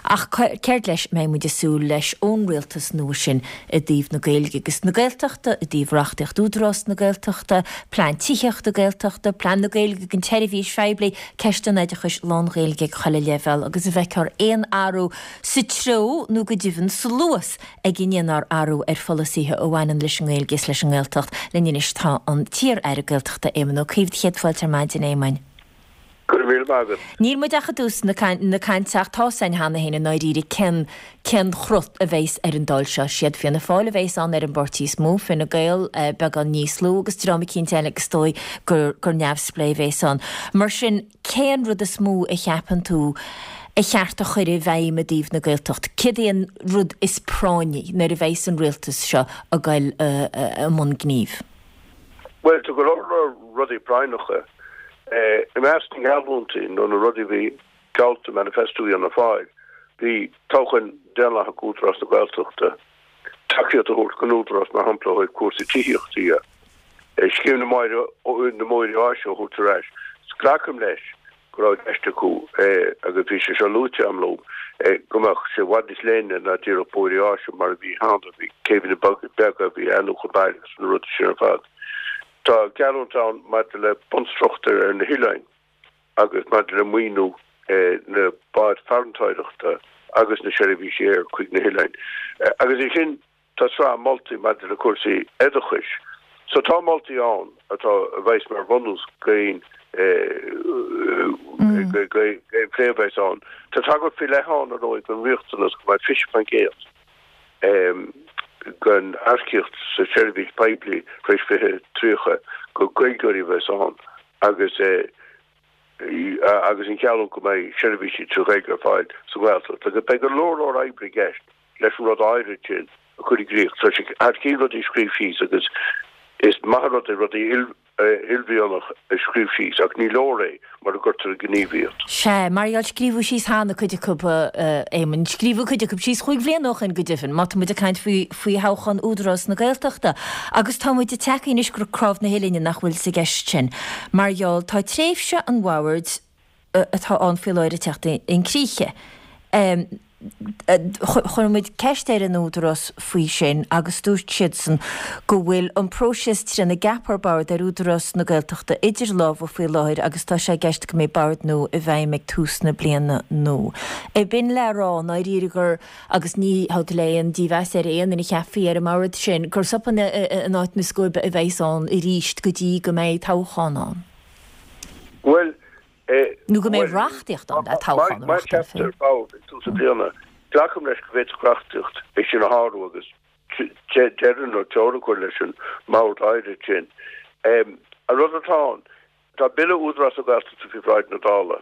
Ach céard leis a mbeidh muid ag súil leis ón rialtas nua sin i dtaobh na Gaeilge agus na Gaeltachta, i dtaobh reachtaíocht Údarás na Gaeltachta, plean tithíochta Gaeltachta, plean na Gaeilge don tseirbhís phoiblí, ceist an oideachais lán-Ghaeilge ag chuile leibhéal agus an bhfeicfear aon athrú sa treo nó go deimhin sa luas ag a ndéanfar athrú ar pholasaithe a bhaineann leis an nGaeilge is leis an nGaeltacht. Linn anois tá an t-iar-aire Gaeltachta Éamon Ó Cuív. Céad fáilte ar maidin, a Éamoin. Go raibh míle maith agat. Níl muid ach i dtús na cainte ach tá 's againn cheana féin i ndáiríre cén cén chruth a bheas ar an Dáil seo. Siad Fianna Fáil a bheas ann ar an bpáirtí is mó, Fine Gael beagán níos lú agus dream eicínt eile agus is dóigh gur gur neamhspléigh a bheas ann. Mar sin cén rud is mó a cheapann tú a cheart a chur i bhfeidhm i dtaobh na Gaeltacht? Céard é an rud is práinní nuair a bheas an rialtas seo ag goil i mbun gnímh? Bhuel, tá go leor leor rudaí práinneacha. I measc na ngeallúintí nó na rudaí a bhí geallta i manifesto Fhianna Fáil, bhí toghchán daonlathach Údarás na Gaeltachta, tacaíocht a thabhairt don Údarás mar shampla ó thaobh cúrsaí tithíochta dhe, scéim na mbóithre áise a thabhairt ar ais. Glacaim leis go raibh i gceist acu, agus bhí sé seo luaite agam leo, go mbeadh sé i bhfad níos leithne ná díreach bóithre áise mar a bhí cheana, bhí céibheanna beaga, bhí athnuachan baile agus na rudaí sin ar fad. Tá geallúint ann maidir le bunstruchtúir ar na hoileáin agus maidir le maoiniú na báid farantóireachta agus na seirbhísí aeir chuig na hoileáin. Agus ansin Tá sraith moltaí maidir le cúrsaí oideachais. So tá moltaí ann atá, a bheas mar bhunús d'aon d'aon phlé a bheas ann. Tá tagairt faoi leith ann, ar ndóigh, don riachtanas go mbeadh fiche faoin gcéad den earcaíocht sa tseirbhís poiblí tar éis fiche tríocha gur Gaeilgeoirí a bheas ann agus agus an gheallúint go mbeidh seirbhísí trí Ghaeilge ar fáil sa Ghaeltacht. Agus beidh go leor leor oibre i gceist leis an rud áirid sin a chur i gcrích. Tá sé thar cionn rudaí a scríobh síos agus is maith an rud é rudaí uaillmhianach a scríobh síos ach ní leor é mura gcuirtear i ngníomh iad. Sea, mar gheall, scríobhadh síos cheana cuid acu, a Éamoinn. Scríobhadh cuid acu síos chúig bhliana ó shin, go deimhin, má tá muid ag caint faoi faoi thoghchán Údarás na Gaeltachta. Agus tá muid ag teacht anois go cnámh na huillinne nach bhfuil sa gceist sin. Mar gheall, tá tréimhse an bhoird atá ann faoi láthair ag teacht chun críche. Chuir muid ceist ar an Údarás faoi sin agus dúirt siadsan go bhfuil an próiseas trína gceapfar bord ar Údarás na Gaeltachta idir lámha faoi láthair agus tá sé i gceist go mbeidh bord nua i bhfeidhm ag tús na bliana nua. B'in le rá i ndáiríre gur, agus ní haud le aon dímheas ar aon duine a cheapfaí ar an mbord sin, gur sopan in áit na scuaibe a bheas ann arís go dtí go mbeidh toghchán ann. Bhuel, Nó go mbeidh reachtaíocht ann le toghchán a Má reáchtáil cheaptar féin. bord ag tús na bliana, glacaim leis go bhféadfadh reachtaíocht é sin a shárú agus deireadh nó teorainn a chur leis an mbord áirid sin. An rud atá ann, tá Bille Údarás na Gaeltachta faoi bhráid na Dála.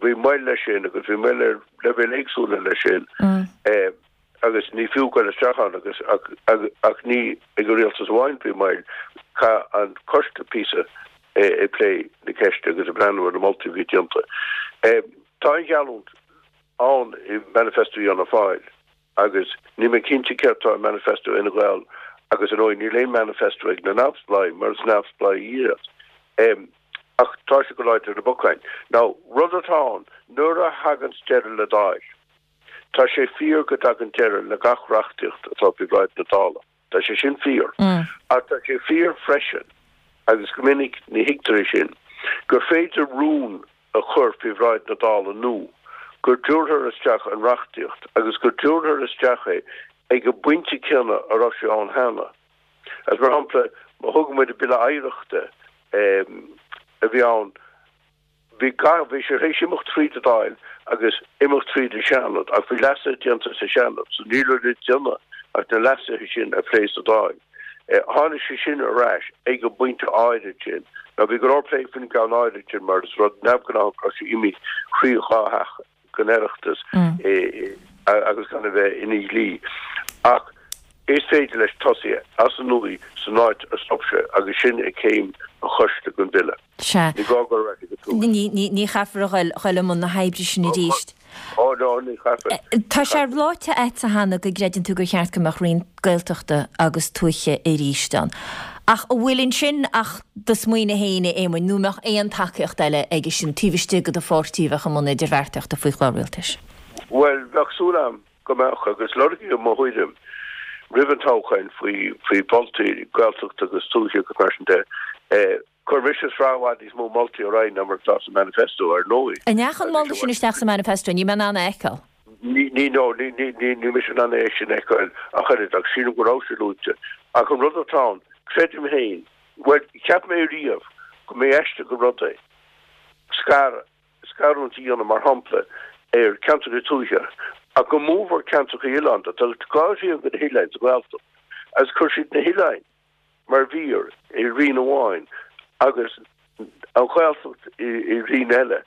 Bhí moill leis sin agus bhí moill ar leibhéil éagsúla leis sin agus ní fiú goil isteach ann agus ach ní ag an rialtas amháin bhí moill, chaith an coiste píosa ag plé na ceiste agus ag breathnú ar na moltaí a bhí déanta. Tá an gheallúint ann i manifesto Fhianna Fáil agus níl mé cinnte céard atá i manifesto Fhine Gael agus ar ndóigh níl aon manifesto ag na neamhspleáigh mar is neamhspleáigh iad. Ach tá sé go láidir ar na bacáin. Now, rud atá ann, nuair a thaganns deireadh le Dáil, tá sé fíor go dtagann deireadh le gach reachtaíocht atá faoi bhráid na Dála. Tá sé sin fíor. Ach tá sé fíor freisin, agus go minic ní thuigtear é sin, gur féidir rún a chur faoi bhráid na Dála nua, go dtabharfar isteach an reachtaíocht agus go dtabharfar isteach é ag an bpointe céanna a raibh sé ann cheana. Agus mar shampla, má thógann muid an Bille Oidhreachta a bhí ann, Bhí gach, bhí sé théis imeacht tríd an Dáil agus imeacht tríd an Seanad ach bhí leasuithe déanta sa Seanad so ní raibh le déanamh ach na leasuithe sin a phlé sa Dáil. Tháinig sé sin ar ais ag an bpointe áirid sin. Now bhí go leor plé faoin gceann áirid sin mar is rud neamhghnách go raibh sé imithe thrí dhá theach den Oireachtas agus gan a bheith ina dhlí. Ach is féidir leis tosaí as an nua san áit a stop sé agus sin ag céim an choiste den bhille. Sea. Ní gá dul ar ais ag an tús. Ní, ní, ní chaithfear a ghoil, ghoil i mbun na hoibre sin arís. Ó, no, ní chaithfear. Tá sé ráite agatsa cheana go gcreideann tú gur cheart go mbeadh Roinn Gaeltachta agus Tuaithe arís ann. Ach an bhfuil ansin ach do smaoineamh féin, a Éamoinn, nó an mbeadh aon tacaíocht eile aige sin taobh istigh de do pháirtí a bheadh i mbun idirbheartaíochta faoi chlár rialtais? Bhuel, bheadh súil agam go mbeadh, agus lorgaíodh mo thuairim roimh an toghchán faoi, faoi mholtaí Gaeltachta agus Tuaithe agus mar sin de. Chuir mise sraith i bhfad níos mó moltaí ar aghaidh ná mar atá sa manifesto, ar ndóigh. An ndeachaigh an moladh sin isteach sa manifesto? Níl mé in ann é a fheiceáil. Ní, ní, no, ní, ní, ní, níl mise in ann é sin a fheiceáil ach oiread, ach sílim go raibh sé luaite. Ach an rud atá ann, creidim féin, bhuel, cheap mé riamh go mba aisteach an rud é scar, scarúint a dhéanamh, mar shampla, ar cheantracha tuaithe, ach go mbuafar ceantracha oileánda. Tá dhá thrian de na hoileáin sa Ghaeltacht agus chuir siad na hoileáin mar mhír i roinn amháin agus an Ghaeltacht i roinn eile.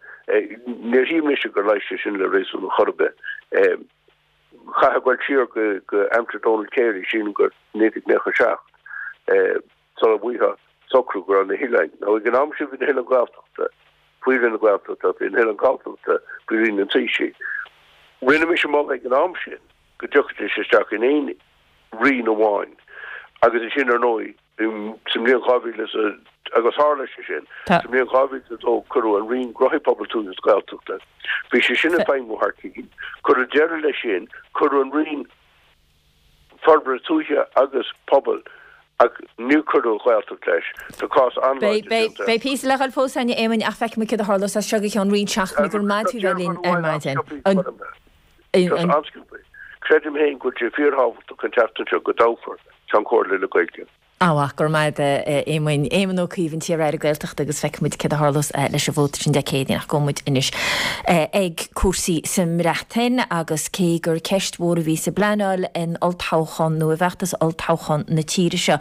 Níor shíl mise gur leigheas sé sin le réasún ar chor ar bith. Chaithfeá a ghoil siar go aimsir Donald Carey, sílim gur naoi déag nócha a seacht, sula bhfaighfeá socrú go raibh na hoileáin, nó ag an am sin bhí na hoileáin Ghaeltachta faoi Roinn na Gaeltachta, bhí na hoileáin Galltachta faoi Roinn an Taoisigh. Rinne mise moladh ag an am sin go dtiocfaidís isteach in aon roinn amháin agus ansin ar ndóigh sa mbliain dhá mhíle is a, agus tharla sé sin, sa mbliain dhá mhíle is a dó cuireadh an Roinn Gnóthaí Pobail Tuaithe agus Gaeltachta, bhí sé sin ag feidhmiú thar cionn, cuireadh deireadh leis sin, cuireadh an Roinn Forbartha Tuaithe agus Pobail ach níor cuireadh an Ghaeltacht leis. Tá cás an-láidir déanta. Beidh píosa le dhul fós againn, a Éamoinn, ach feicfidh muid céard a tharlós as seo go ceann roinnt seachtainí. Go raibh maith agat a bheith linn ar maidin. Creidim féin go bhfuil sé fíorthábhachtach an tseachtain seo go dtoghfar Ceann Comhairle le Gaeilge. Á, go raibh maith agat, a Éamoinn. Éamon Ó Cuív, an t-iar-aire Gaeltachta agus feicfidh muid céard a tharlós leis an vóta sin Dé Céadaoin ach gabhfaidh muid anois ag cúrsaí sa mBreatain agus cé gur ceist mhór a bhí sa bpleanáil in olltoghchán nó i bhfeachtas olltoghcháin na tíre seo,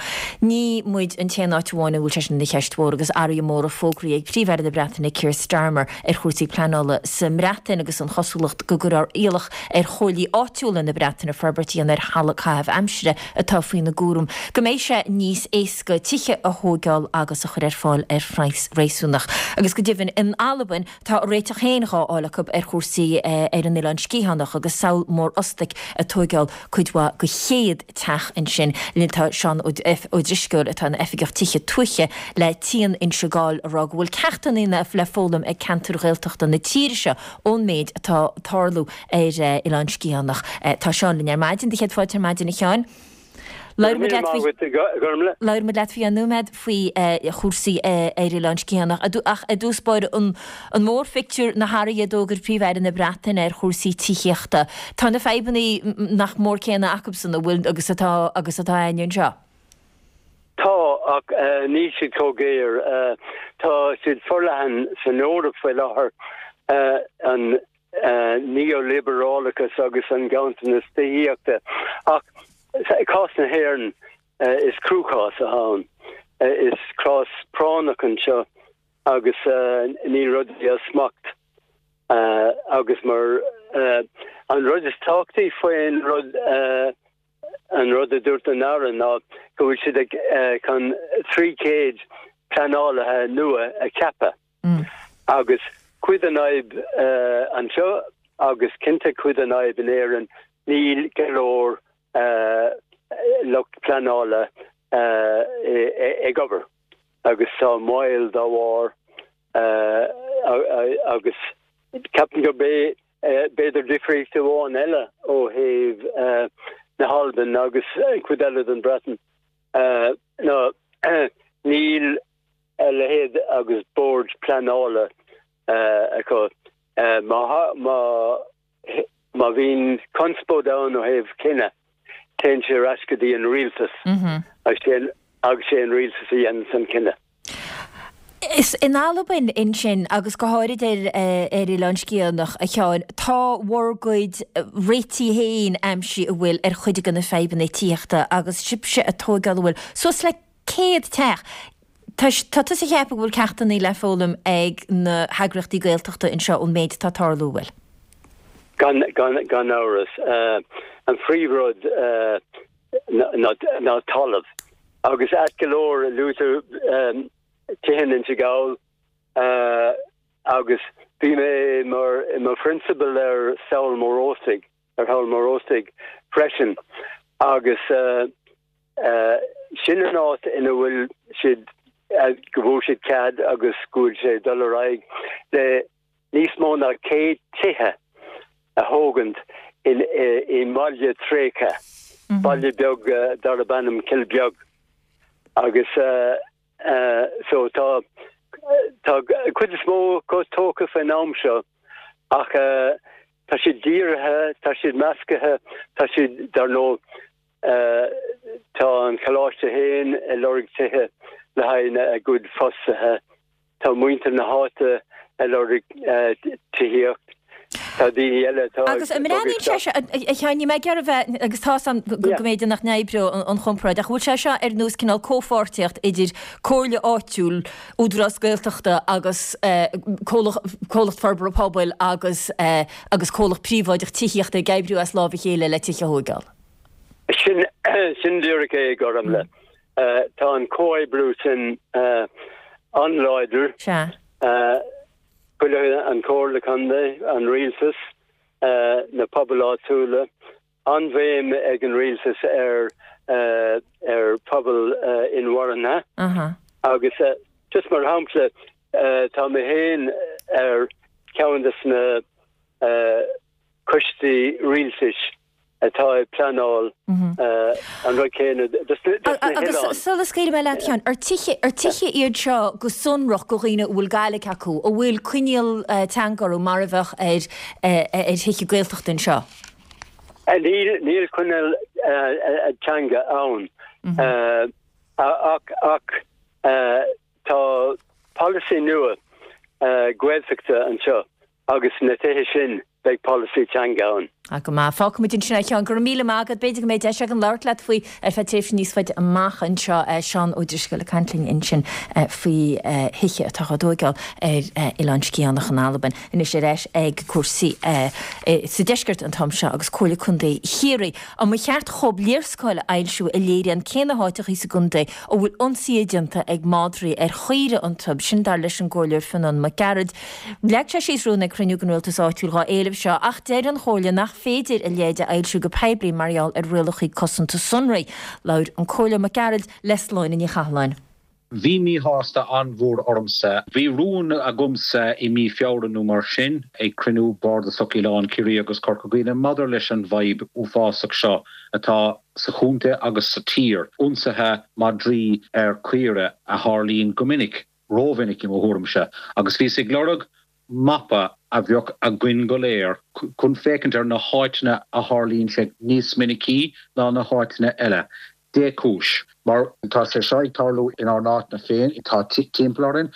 ní muid an t-aon áit amháin a bhfuil sé sin ina cheist mhór agus athruithe móra fógraithe ag Príomh-Aire na Breataine Keir Starmer ar chúrsaí pleanála sa mBreatain agus an chosúlacht go gcuirfear iallach ar chomhairlí áitiúla na Breataine forbairt a dhéanamh ar thalamh caitheamh aimsire atá faoina gcúram go mbeidh sé níos níos éasca tithe a thógáil agus a chur ar fáil ar phraghas réasúnach. Agus go deimhin in Albain tá a réiteach féin dhá fháil acu ar chúrsaí ar an Oileán Sgitheanach agus samhail mór óstaigh ag tógáil cuid mhaith de chéad teach ansin. Linn tá Seán Ó Drisceoil atá ina Oifigeach Tithe Tuaithe le Tian Inse Gall ag rá go bhfuil ceachtanna le foghlaim ag ceantair Ghaeltachta na tíre seo ón méid atá ag tarlú ar Oileán Sgitheanach. Tá Seán linn ar maidin, do chéad fáilte ar maidin a Sheáin. Labhair muid leat faoi nóiméad faoi chúrsaí ar Oileán Sgitheanach ach i dtús báire an mórphictiúr na hathruithe a d'fhógair Príomh-Aire na Breataine ar chúrsaí tithíochta. Tá na fadhbanna nach mór céanna acusan a bhfuil agus atá agus atá againne anseo. Tá ach níl siad chomh géar. Tá siad forleathan san Eoraip faoi láthair an neoliberálachas agus an ganntanas tithíochta ach i gcás na hÉireann is cruachás atá ann. Is cás práinneach anseo agus níl rudaí as smacht agus mar an rud is tábhachtaí faoin rud an rud a dúirt an Aire ná go bhfuil siad ag chun trí chéad pleanálaithe nua a cheapadh. Agus cuid den fhadhb anseo agus cinnte cuid den fhadhb in Éirinn níl go leor lucht pleanála ag obair agus tá moill dá bharr agus ceapaim gurb é b'fhéidir difríocht amháin eile ó thaobh na hAlban agus cuid eile den Bhreatain ná níl a leithéid agus bord pleanála acu. Má má bhíonn conspóid ann ó thaobh cinneadh, téann sé ar ais go dtí an rialtas agus sé an rialtas a dhéanann an cinneadh. Is in Albain ansin agus go háirid ar ar Oileán Sgitheanach, a Sheáin, tá bhur gcuid réitigh féin aimsithe an bhfuil ar chuid de na fadhbanna tithíochta agus sibhse ag tógáil an bhfuil suas le céad teach. Tá tusa ag ceapadh go bhfuil ceachtanna le foghlaim ag na heagraíochtaí Gaeltachta anseo ón méid atá ag tarlú, an bhfuil? Gan, gan, gan amhras. An phríomhrud ná talamh. Agus ait go leor, luaigh tú tithe in Inse Gall agus bhí mé mar, i mo phrionsabal ar Sabhal Mór Ostaig, ar Shabhal Mór Ostaig freisin agus sin an áit ina bhfuil siad, go bhfuair siad cead agus go bhfuil sé ag dul ar aghaidh le níos mó ná céad tithe a thógaint in, i mbaile tréigthe, baile beag darb ainm Cill Beag. Agus so tá, tá cuid is mó acu tógtha faoin am seo ach tá siad dírithe, tá siad measctha, tá siad, dar ndóigh, Tá an coláiste féin ag lorg tithe le haghaidh a gcuid fostaithe. Tá muintir na háite ag lorg tithíocht. Tá daoine eile atá ag Agus an mbreathnaíonn sé seo, a Sheáin, níl mé ag iarraidh bheith, agus tá 's a'm go mb'fhéidir nach n-oibreodh an chomparáid, ach an bhfuil sé seo ar nós cineál comhpháirtíocht idir comhairle áitiúil, Údarás Gaeltachta agus comhlacht forbartha pobail agus agus comhlacht príobháideach tithíochta ag oibriú as lámh a chéile le tithe a thóigeáil? Sin, sin díreach é, a Ghormfhlaith. Tá an comhoibriú sin an-láidir. Sea. Chuile, an Chomhairle Contae, an Rialtas, na pobail áitiúla, an-bhéim ag an Rialtas ar ar phobail inmharthana. Agus just mar shampla, tá mé féin ar cheann de na coistí rialtais atá ag pleanáil an rud céanna dos na Agus hoileáin. sula scaoilfidh mé leat, a Sheáin, ar tithe, ar tithe iad seo go sonrach do dhaoine a bhfuil Gaeilge acu, a bhfuil coinníoll teanga orthu mar a bheadh ar ar thithe Gaeltachta anseo? Níl, níl coinníoll teanga ann ach, ach tá polasaí nua Gaeltachta anseo agus na tithe sin beidh polasaí teanga ann. Ah, go maith. Fágfaimid ansin é, a Sheáin. Go raibh míle maith agat. B'fhéidir go mbeidh deis againn labhairt leat faoi ar feadh tréimhse níos faide amach anseo. Seán Ó Drisceoil ag caint linn ansin faoi thithe atá á dtóigeáil ar Oileán Sgitheanach in Albain. Anois ar ais ag cúrsaí sa deisceart an t-am seo agus Comhairle Contae Chiarraí. An mba cheart dhóibh léarscáil a fhoilsiú a léiríonn cé na háiteachaí sa gcontae a bhfuil ionsaithe déanta ag madraí ar chaoirigh iontu, sin dar leis an gComhairleoir Fionán Mac Gearailt. Leag sé síos rún ag cruinniú den rialtas áitiúil dhá éileamh seo ach deir an Chomhairle nach féidir a leithéid a fhoilsiú go poiblí mar gheall ar rialacha cosanta sonraí. Labhair an Comhairleoir Mac Gearailt le Sláine Ní Chathalláin. Bhí míshásta an-mhór ormsa. Bhí rún agamsa i mí Feabhra nó mar sin ag cruinniú Bardasach Oileán Ciarraí agus Corca Dhuibhne maidir leis an bhfadhb uafásach seo atá sa chontae agus sa tír, ionsaithe madraí ar chaoirigh a tharlaíonn go minic, rómhinic i mo thuairimse, agus bhíos ag lorg mapa a bheadh againn go léir chun féachaint ar na háiteanna a tharlaíonn sé níos minicí ná na háiteanna eile. Dé cúis. Mar tá sé seo ag tarlú inár n-áiteanna féin, atá timpeall orainn,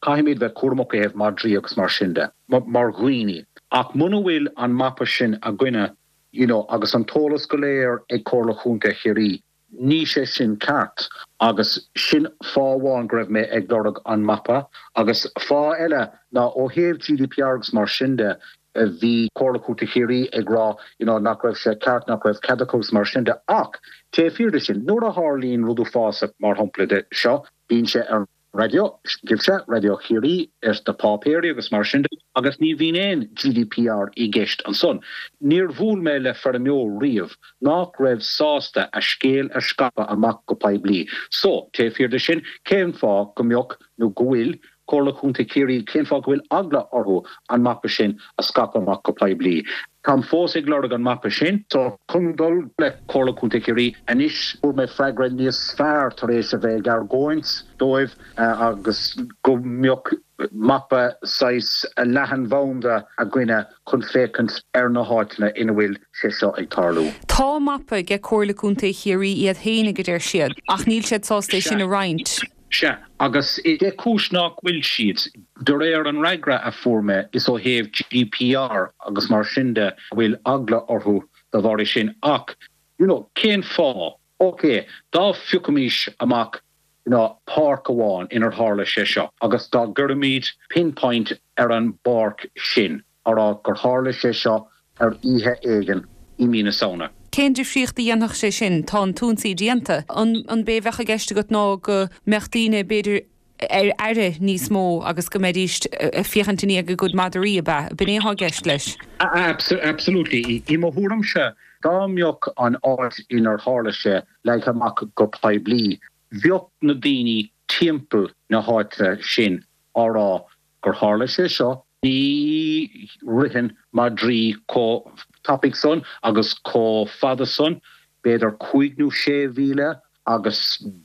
caithfimid bheith cúramach ó thaobh madraí agus mar sin de, mar dhaoine. Ach muna bhfuil an mapa sin againne, you know, agus an t-eolas go léir ag Comhairle Chontae Chiarraí, Ní sé sin ceart agus sin fáth amháin go raibh mé ag lorg an mapa agus fáth eile ná ó thaobh GDPR agus mar sin de, bhí Comhairle Contae Chiarraí ag rá you know nach raibh sé ceart, nach raibh cead acu agus mar sin de ach taobh thiar de sin, nuair a tharlaíonn rud uafásach mar shampla de seo, bíonn sé ar an raidió, agaibhse, Raidió Chiarraí, ar na páipéirí agus mar sin de, agus ní bhíonn aon GDPR i gceist ansan. Níor bhuail mé le feirmeoir riamh nach raibh sásta a scéal a scaipeadh amach go poiblí. So, taobh thiar de sin, cén fáth go mbeadh, nó go bhfuil, Comhairle Chontae Chiarraí, cén fáth go bhfuil eagla orthu an mapa sin a scaipeadh amach go poiblí? Táim fós ag lorg an mapa sin. So, chun dul le Comhairle Contae Chiarraí anois, fuair mé freagra níos fearr tar éis a bheith ag argóint dóibh agus go mbeadh mapa saghas leathanbhanda againne chun féachaint ar na háiteanna ina bhfuil sé seo ag tarlú. Tá mapa ag Comhairle Contae Chiarraí iad féinig, a deir siad, ach níl siad sásta é sin a roinnt. Sea, agus dé cúis nach bhfuil siad? De réir an fhreagra a fuair mé, is ó thaobh GDPR agus mar sin de a bhfuil eagla orthu dá bharr sin. Ach, you know, cén fáth? Ok, dá phiocfaimis amach, you know, páirc amháin inar tharla sé seo agus dá gcuirfimid pinpoint ar an bpáirc sin, á rá gur tharla sé seo ar oíche éigin i mí na Samhna. Cén difríocht a dhéanfadh sé sin? Tá an t-ionsaí déanta. An b'é a bheadh i gceist agat ná go mbeadh daoine, b'fhéidir, ar aire níos mó agus go mbeidís ag féachaint i ndiaidh a gcuid madraí, ab ea? B'in é atá i gceist leis? Absolutely. I mo thuairimse, dá mbeadh an áit inar tharla sé leagtha amach go poiblí, bheadh na daoine timpeall na háite sin á rá gur tharla sé seo, ní ritheann madraí chomh tapaidh san agus chomh fada san, b'fhéidir cúig nó sé mhíle agus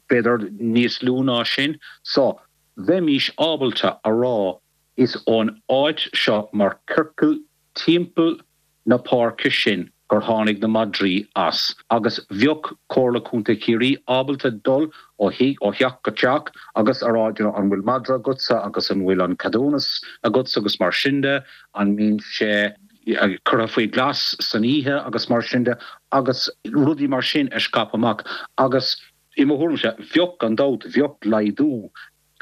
b'fhéidir níos lú ná sin. So, bheimís ábalta a rá is ón áit seo mar ciorcal timpeall na páirce sin gur tháinig na madraí as agus bheadh Comhairle Contae Chiarraí ábalta dul ó ó theach go teach agus a rá you know an bhfuil madra agatsa agus an bhfuil an ceadúnas agatsa agus mar sin de, an mbíonn sé curtha faoi ghlas san oíche agus mar sin de agus rudaí mar sin a scaipeadh amach agus i mo thuairimse bheadh gan dabht bheadh laghdú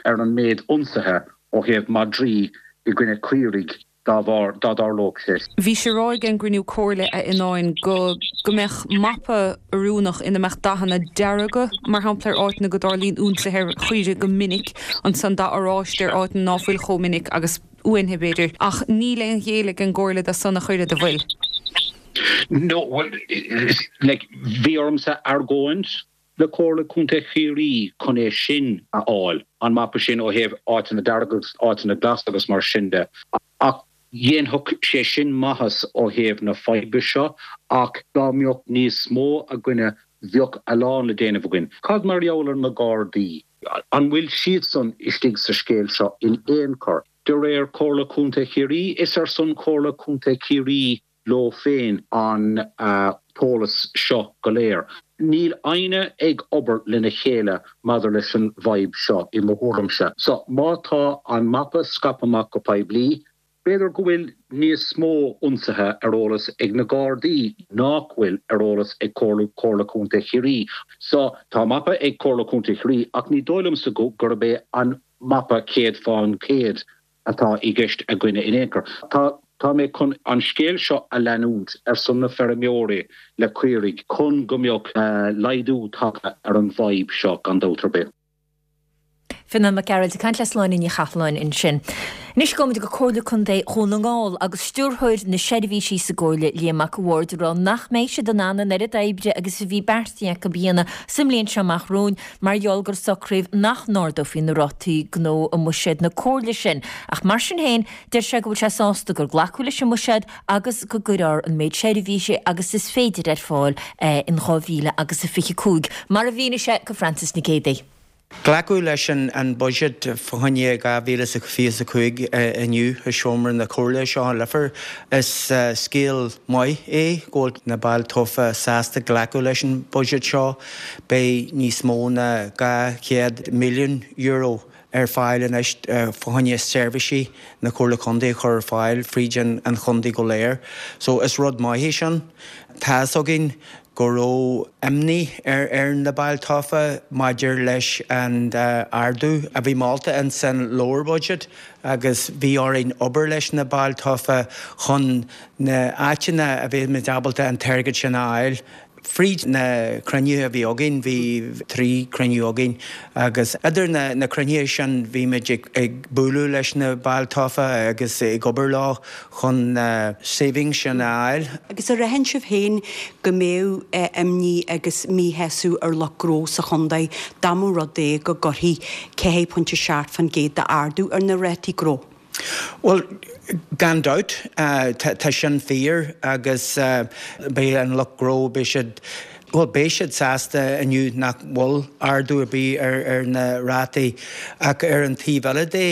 ar an méid ionsaithe ó thaobh madraí i gcoinne caoirigh dá bharr, dá dtarlódh sé. Bhí sé ráite ag an gcruinniú comhairle a Fhionnáin go go mbeadh mapa oiriúnach ina mbeadh dathanna dearga, mar shampla, ar áiteanna go dtarlaíonn ionsaithe ar chaoirigh go minic, ansan dath oráiste ar áiteanna ná fuil chomh minic agus uainithe, b'fhéidir. Ach níl aon ghéilleadh ag an gcomhairle dó san ach oiread, an bhfuil? No, bhuel, like, bhí ormsa argóint le Comhairle Contae Chiarraí chun é sin a fháil, an mapa sin ó thaobh áiteanna dearga agus áiteanna glasa agus mar sin de. Ach dhéanfadh sé sin maitheas ó thaobh na faidhbe seo ach dá mbeadh níos mó againne bheadh a lán le déanamh againn. Cad mar gheall ar na Gardaí? An bhfuil siadsan istigh sa scéal seo in aon chor? De réir Comhairle Contae Chiarraí, is ar son Chomhairle Contae Chiarraí leo féin an t-eolas seo go léir. Níl éinne ag obair lena chéile maidir leis an bhfadhb seo, i mo thuairimse. So, má tá an mapa scaipthe amach go poiblí, B'fhéidir go bhfuil níos mó ionsaithe ar eolas ag na Gardaí nach bhfuil ar eolas ag Comhairle Comhairle Contae Chiarraí. So tá mapa ag Comhairle Contae Chiarraí ach ní dóigh liomsa go gurb é an mapa céad faoin gcéad atá i gceist againne in aon chor. Tá Tá mé chun an scéal seo a leanúint ar son na feirmeoirí le caoirigh chun go mbeadh laghdú tagtha ar an bhfadhb seo gan dabht ar bith. Fionán Mac Gearailt ag caint le Sláine Ní Chathalláin ansin. Anois gabhaimid go Comhairle Contae Dhún na nGall agus Stiúrthóir na Seirbhísí sa gComhairle Liam Mac a' Bhaird ag rá nach mbeidh siad in ann an oiread oibre agus a bhí beartaithe acu a dhéanamh sa mbliain seo amach romhainn mar gheall gur socraíodh nach n-ardófaí na rátaí gnó i mbuiséad na Comhairle sin. Ach mar sin féin, deir sé go bhfuil sé sásta gur glacadh leis an mbuiséad agus go gcuirfear an méid seirbhísí agus is féidir ar fáil in dhá mhíle agus a fiche cúig, mar a mhínigh sé go Frances Nic Géadaigh. Glacadh leis an buiséad fá choinne dhá mhíle is a fiche a cúig inniu i seomra na Comhairle seo i Leifear. Is scéal maith é go bhfuil na baill tofa sásta glacadh leis an buiséad seo. Beidh níos mó ná dhá chéad milliún euro ar fáil anois fá choinne seirbhísí na Comhairle Contae a chur ar fáil fríd an chontae go léir. So is rud maith é sin. Tá's againn go raibh imní ar ar na baill tofa maidir leis an ardú a bhí molta in san leabhar budget agus bhí orainn obair leis na baill tofa chun na áiteanna a bheadh ábalta an t-airgead sin a fháil. Fríd na cruinnithe a bhí againn, bhí trí cruinniú againn agus idir na na cruinnithe sin bhí muid ag ag bualadh leis na baill tofa agus ag obair leo chun na savings sin a fháil. Agus ar aithin sibh féin go mbeadh imní agus míshásamh ar lucht gnó sa chontae dá mba rud é go gcuirfí ceathair pointe seacht faoin gcéad d'ardú ar na rátaí gnó? Bhuel, gan dabht, tá sin fíor agus beidh an lucht gnó, beidh siad, bhuel, beidh siad sásta inniu nach bhfuil ardú ar bith ar ar na rátaí ach ar an taobh eile de,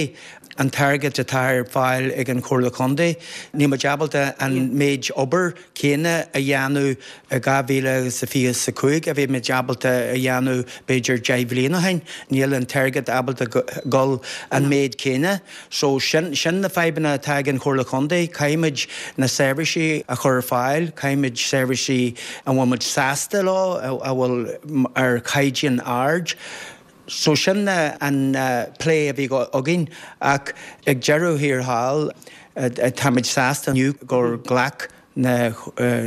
an t-airgead atá ar fáil ag an Chomhairle Contae, níl muid ábalta an méid obair céanna a dhéanamh i dhá mhíle agus a fiche is a cúig a bhí muid ábalta a dhéanamh b'fhéidir deich bhliain ó shin. Níl an t-airgead ábalta dul an méid céanna. So sin sin na fadhbanna atá ag an Chomhairle Contae. Caithfimid na seirbhísí a chur ar fáil, caithfimid seirbhísí a bhfuil muid sásta leo, a bhfuil ar chaighdeán ard. So sin an plé a bhí againn ach ag deireadh thiar thall táimid sásta inniu gur ghlac na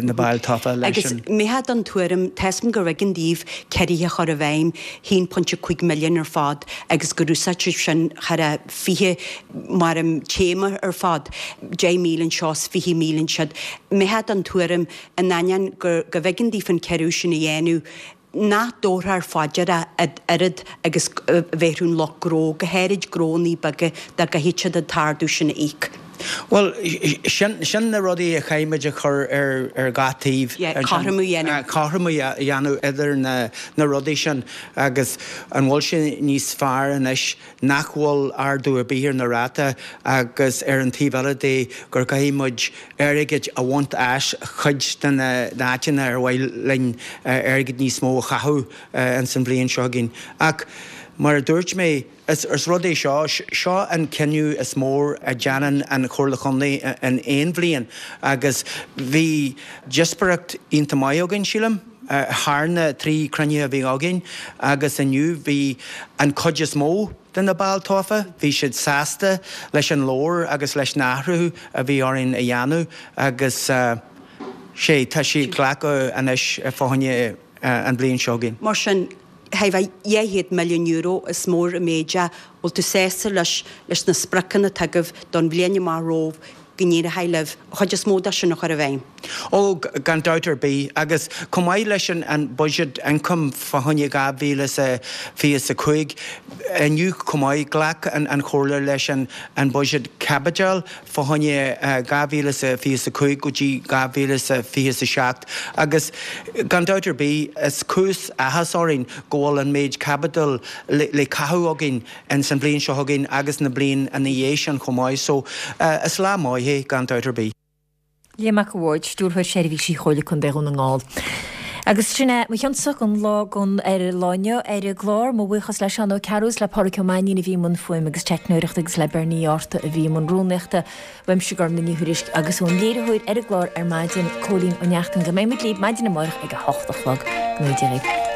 na baill tofa leis Agus an. an mbeifeá den tuairim, tá 'fhios a'm gurbh éigean daoibh ciorruithe a chur i bhfeidhm, haon pointe cúig milliún ar fad agus gur úsáid sibh sin thar a fiche mar an téama ar fad, deich míle anseo is fiche míle ansiúd. An mbeifeá den tuairim, in ainneoin gur go mb'éigean daoibh an ciorrú sin a dhéanamh, nach dtabharfar faoi deara oiread agus a bhéarfadh an lucht gnó, go háirid gnónnaí beaga, dá gcaithfeadh siad an t-ardú sin a íoc. Bhuel, sin, sin na rudaí a chaithfimid a chur ar, ar gach taobh. Yeah, cothromú a dhéanamh. Cothromú a dhéanamh idir na, na rudaí sin agus an bhfuil sé níos fearr anois nach bhfuil ardú ar bith ar na ráta agus ar an taobh eile de gur caithfidh muid airgead a bhaint as chuid de na áiteanna ar mhaith linn airgead níos mó a chaitheamh ins an bhliain seo chugainn. Ach mar a dúirt mé, is rud é seo, seo an cinneadh is mór a dhéanann an Chomhairle Chontae in aon bhliain agus bhí díospóireacht iontach maith againn, sílim, thar na trí cruinnithe a bhí againn agus inniu bhí an chuid is mó de na baill tofa, bhí siad sásta leis an leabhar agus leis na hathruithe a bhí orainn a dhéanamh agus sé, tá siad glacadh anois fá choinne an bhliain seo chugainn. Mar sin, thar dhá chéad milliún euro is mór an méid é, bhfuil tú sásta leis leis na spriocanna atá agaibh don bhliain amach romhaibh go n-éireoidh libh an chuid is mó de sin a chur i bhfeidhm? Ó, gan dabht ar bith. Agus chomh maith leis an buiséad ioncaim fá choinne dhá mhíle is a fiche is a cúig, inniu chomh maith, ghlac an Chomhairle leis an buiséad caipitil fá choinne dhá mhíle is a fiche is a cúig go dtí dhá mhíle is a fiche is a seacht. Agus gan dabht ar bith, is cúis áthas orainn go bhfuil an méid caipitil le caitheamh againn ins an bhliain seo chugainn agus na bliain ina dhiaidh sin chomh maith. So, is lá maith é gan dabht ar bith. Liam Mac a' Bhaird, Stiúrthóir Seirbhísí Chomhairle Contae Dhún na nGall. Agus sin é mo chionsa don lá don ar an lá inniu ar an gclár, mo bhuíochas le Seán Ó Cearúil is le Pádraic Ó Mainnín a bhí i mbun fuaime agus teicneoireachta agus le Bernie Uí Fhátharta a bhí i mbun rúnaíochta, uaimse Gormlaith Ní Thuairisg agus ón léiritheoir ar an gclár ar maidin, Cóilín Ó Neachtain. Go mbeidh muid libh maidin amárach ag a hocht a chlog. Go ngnóthaí Dia dhaoibh.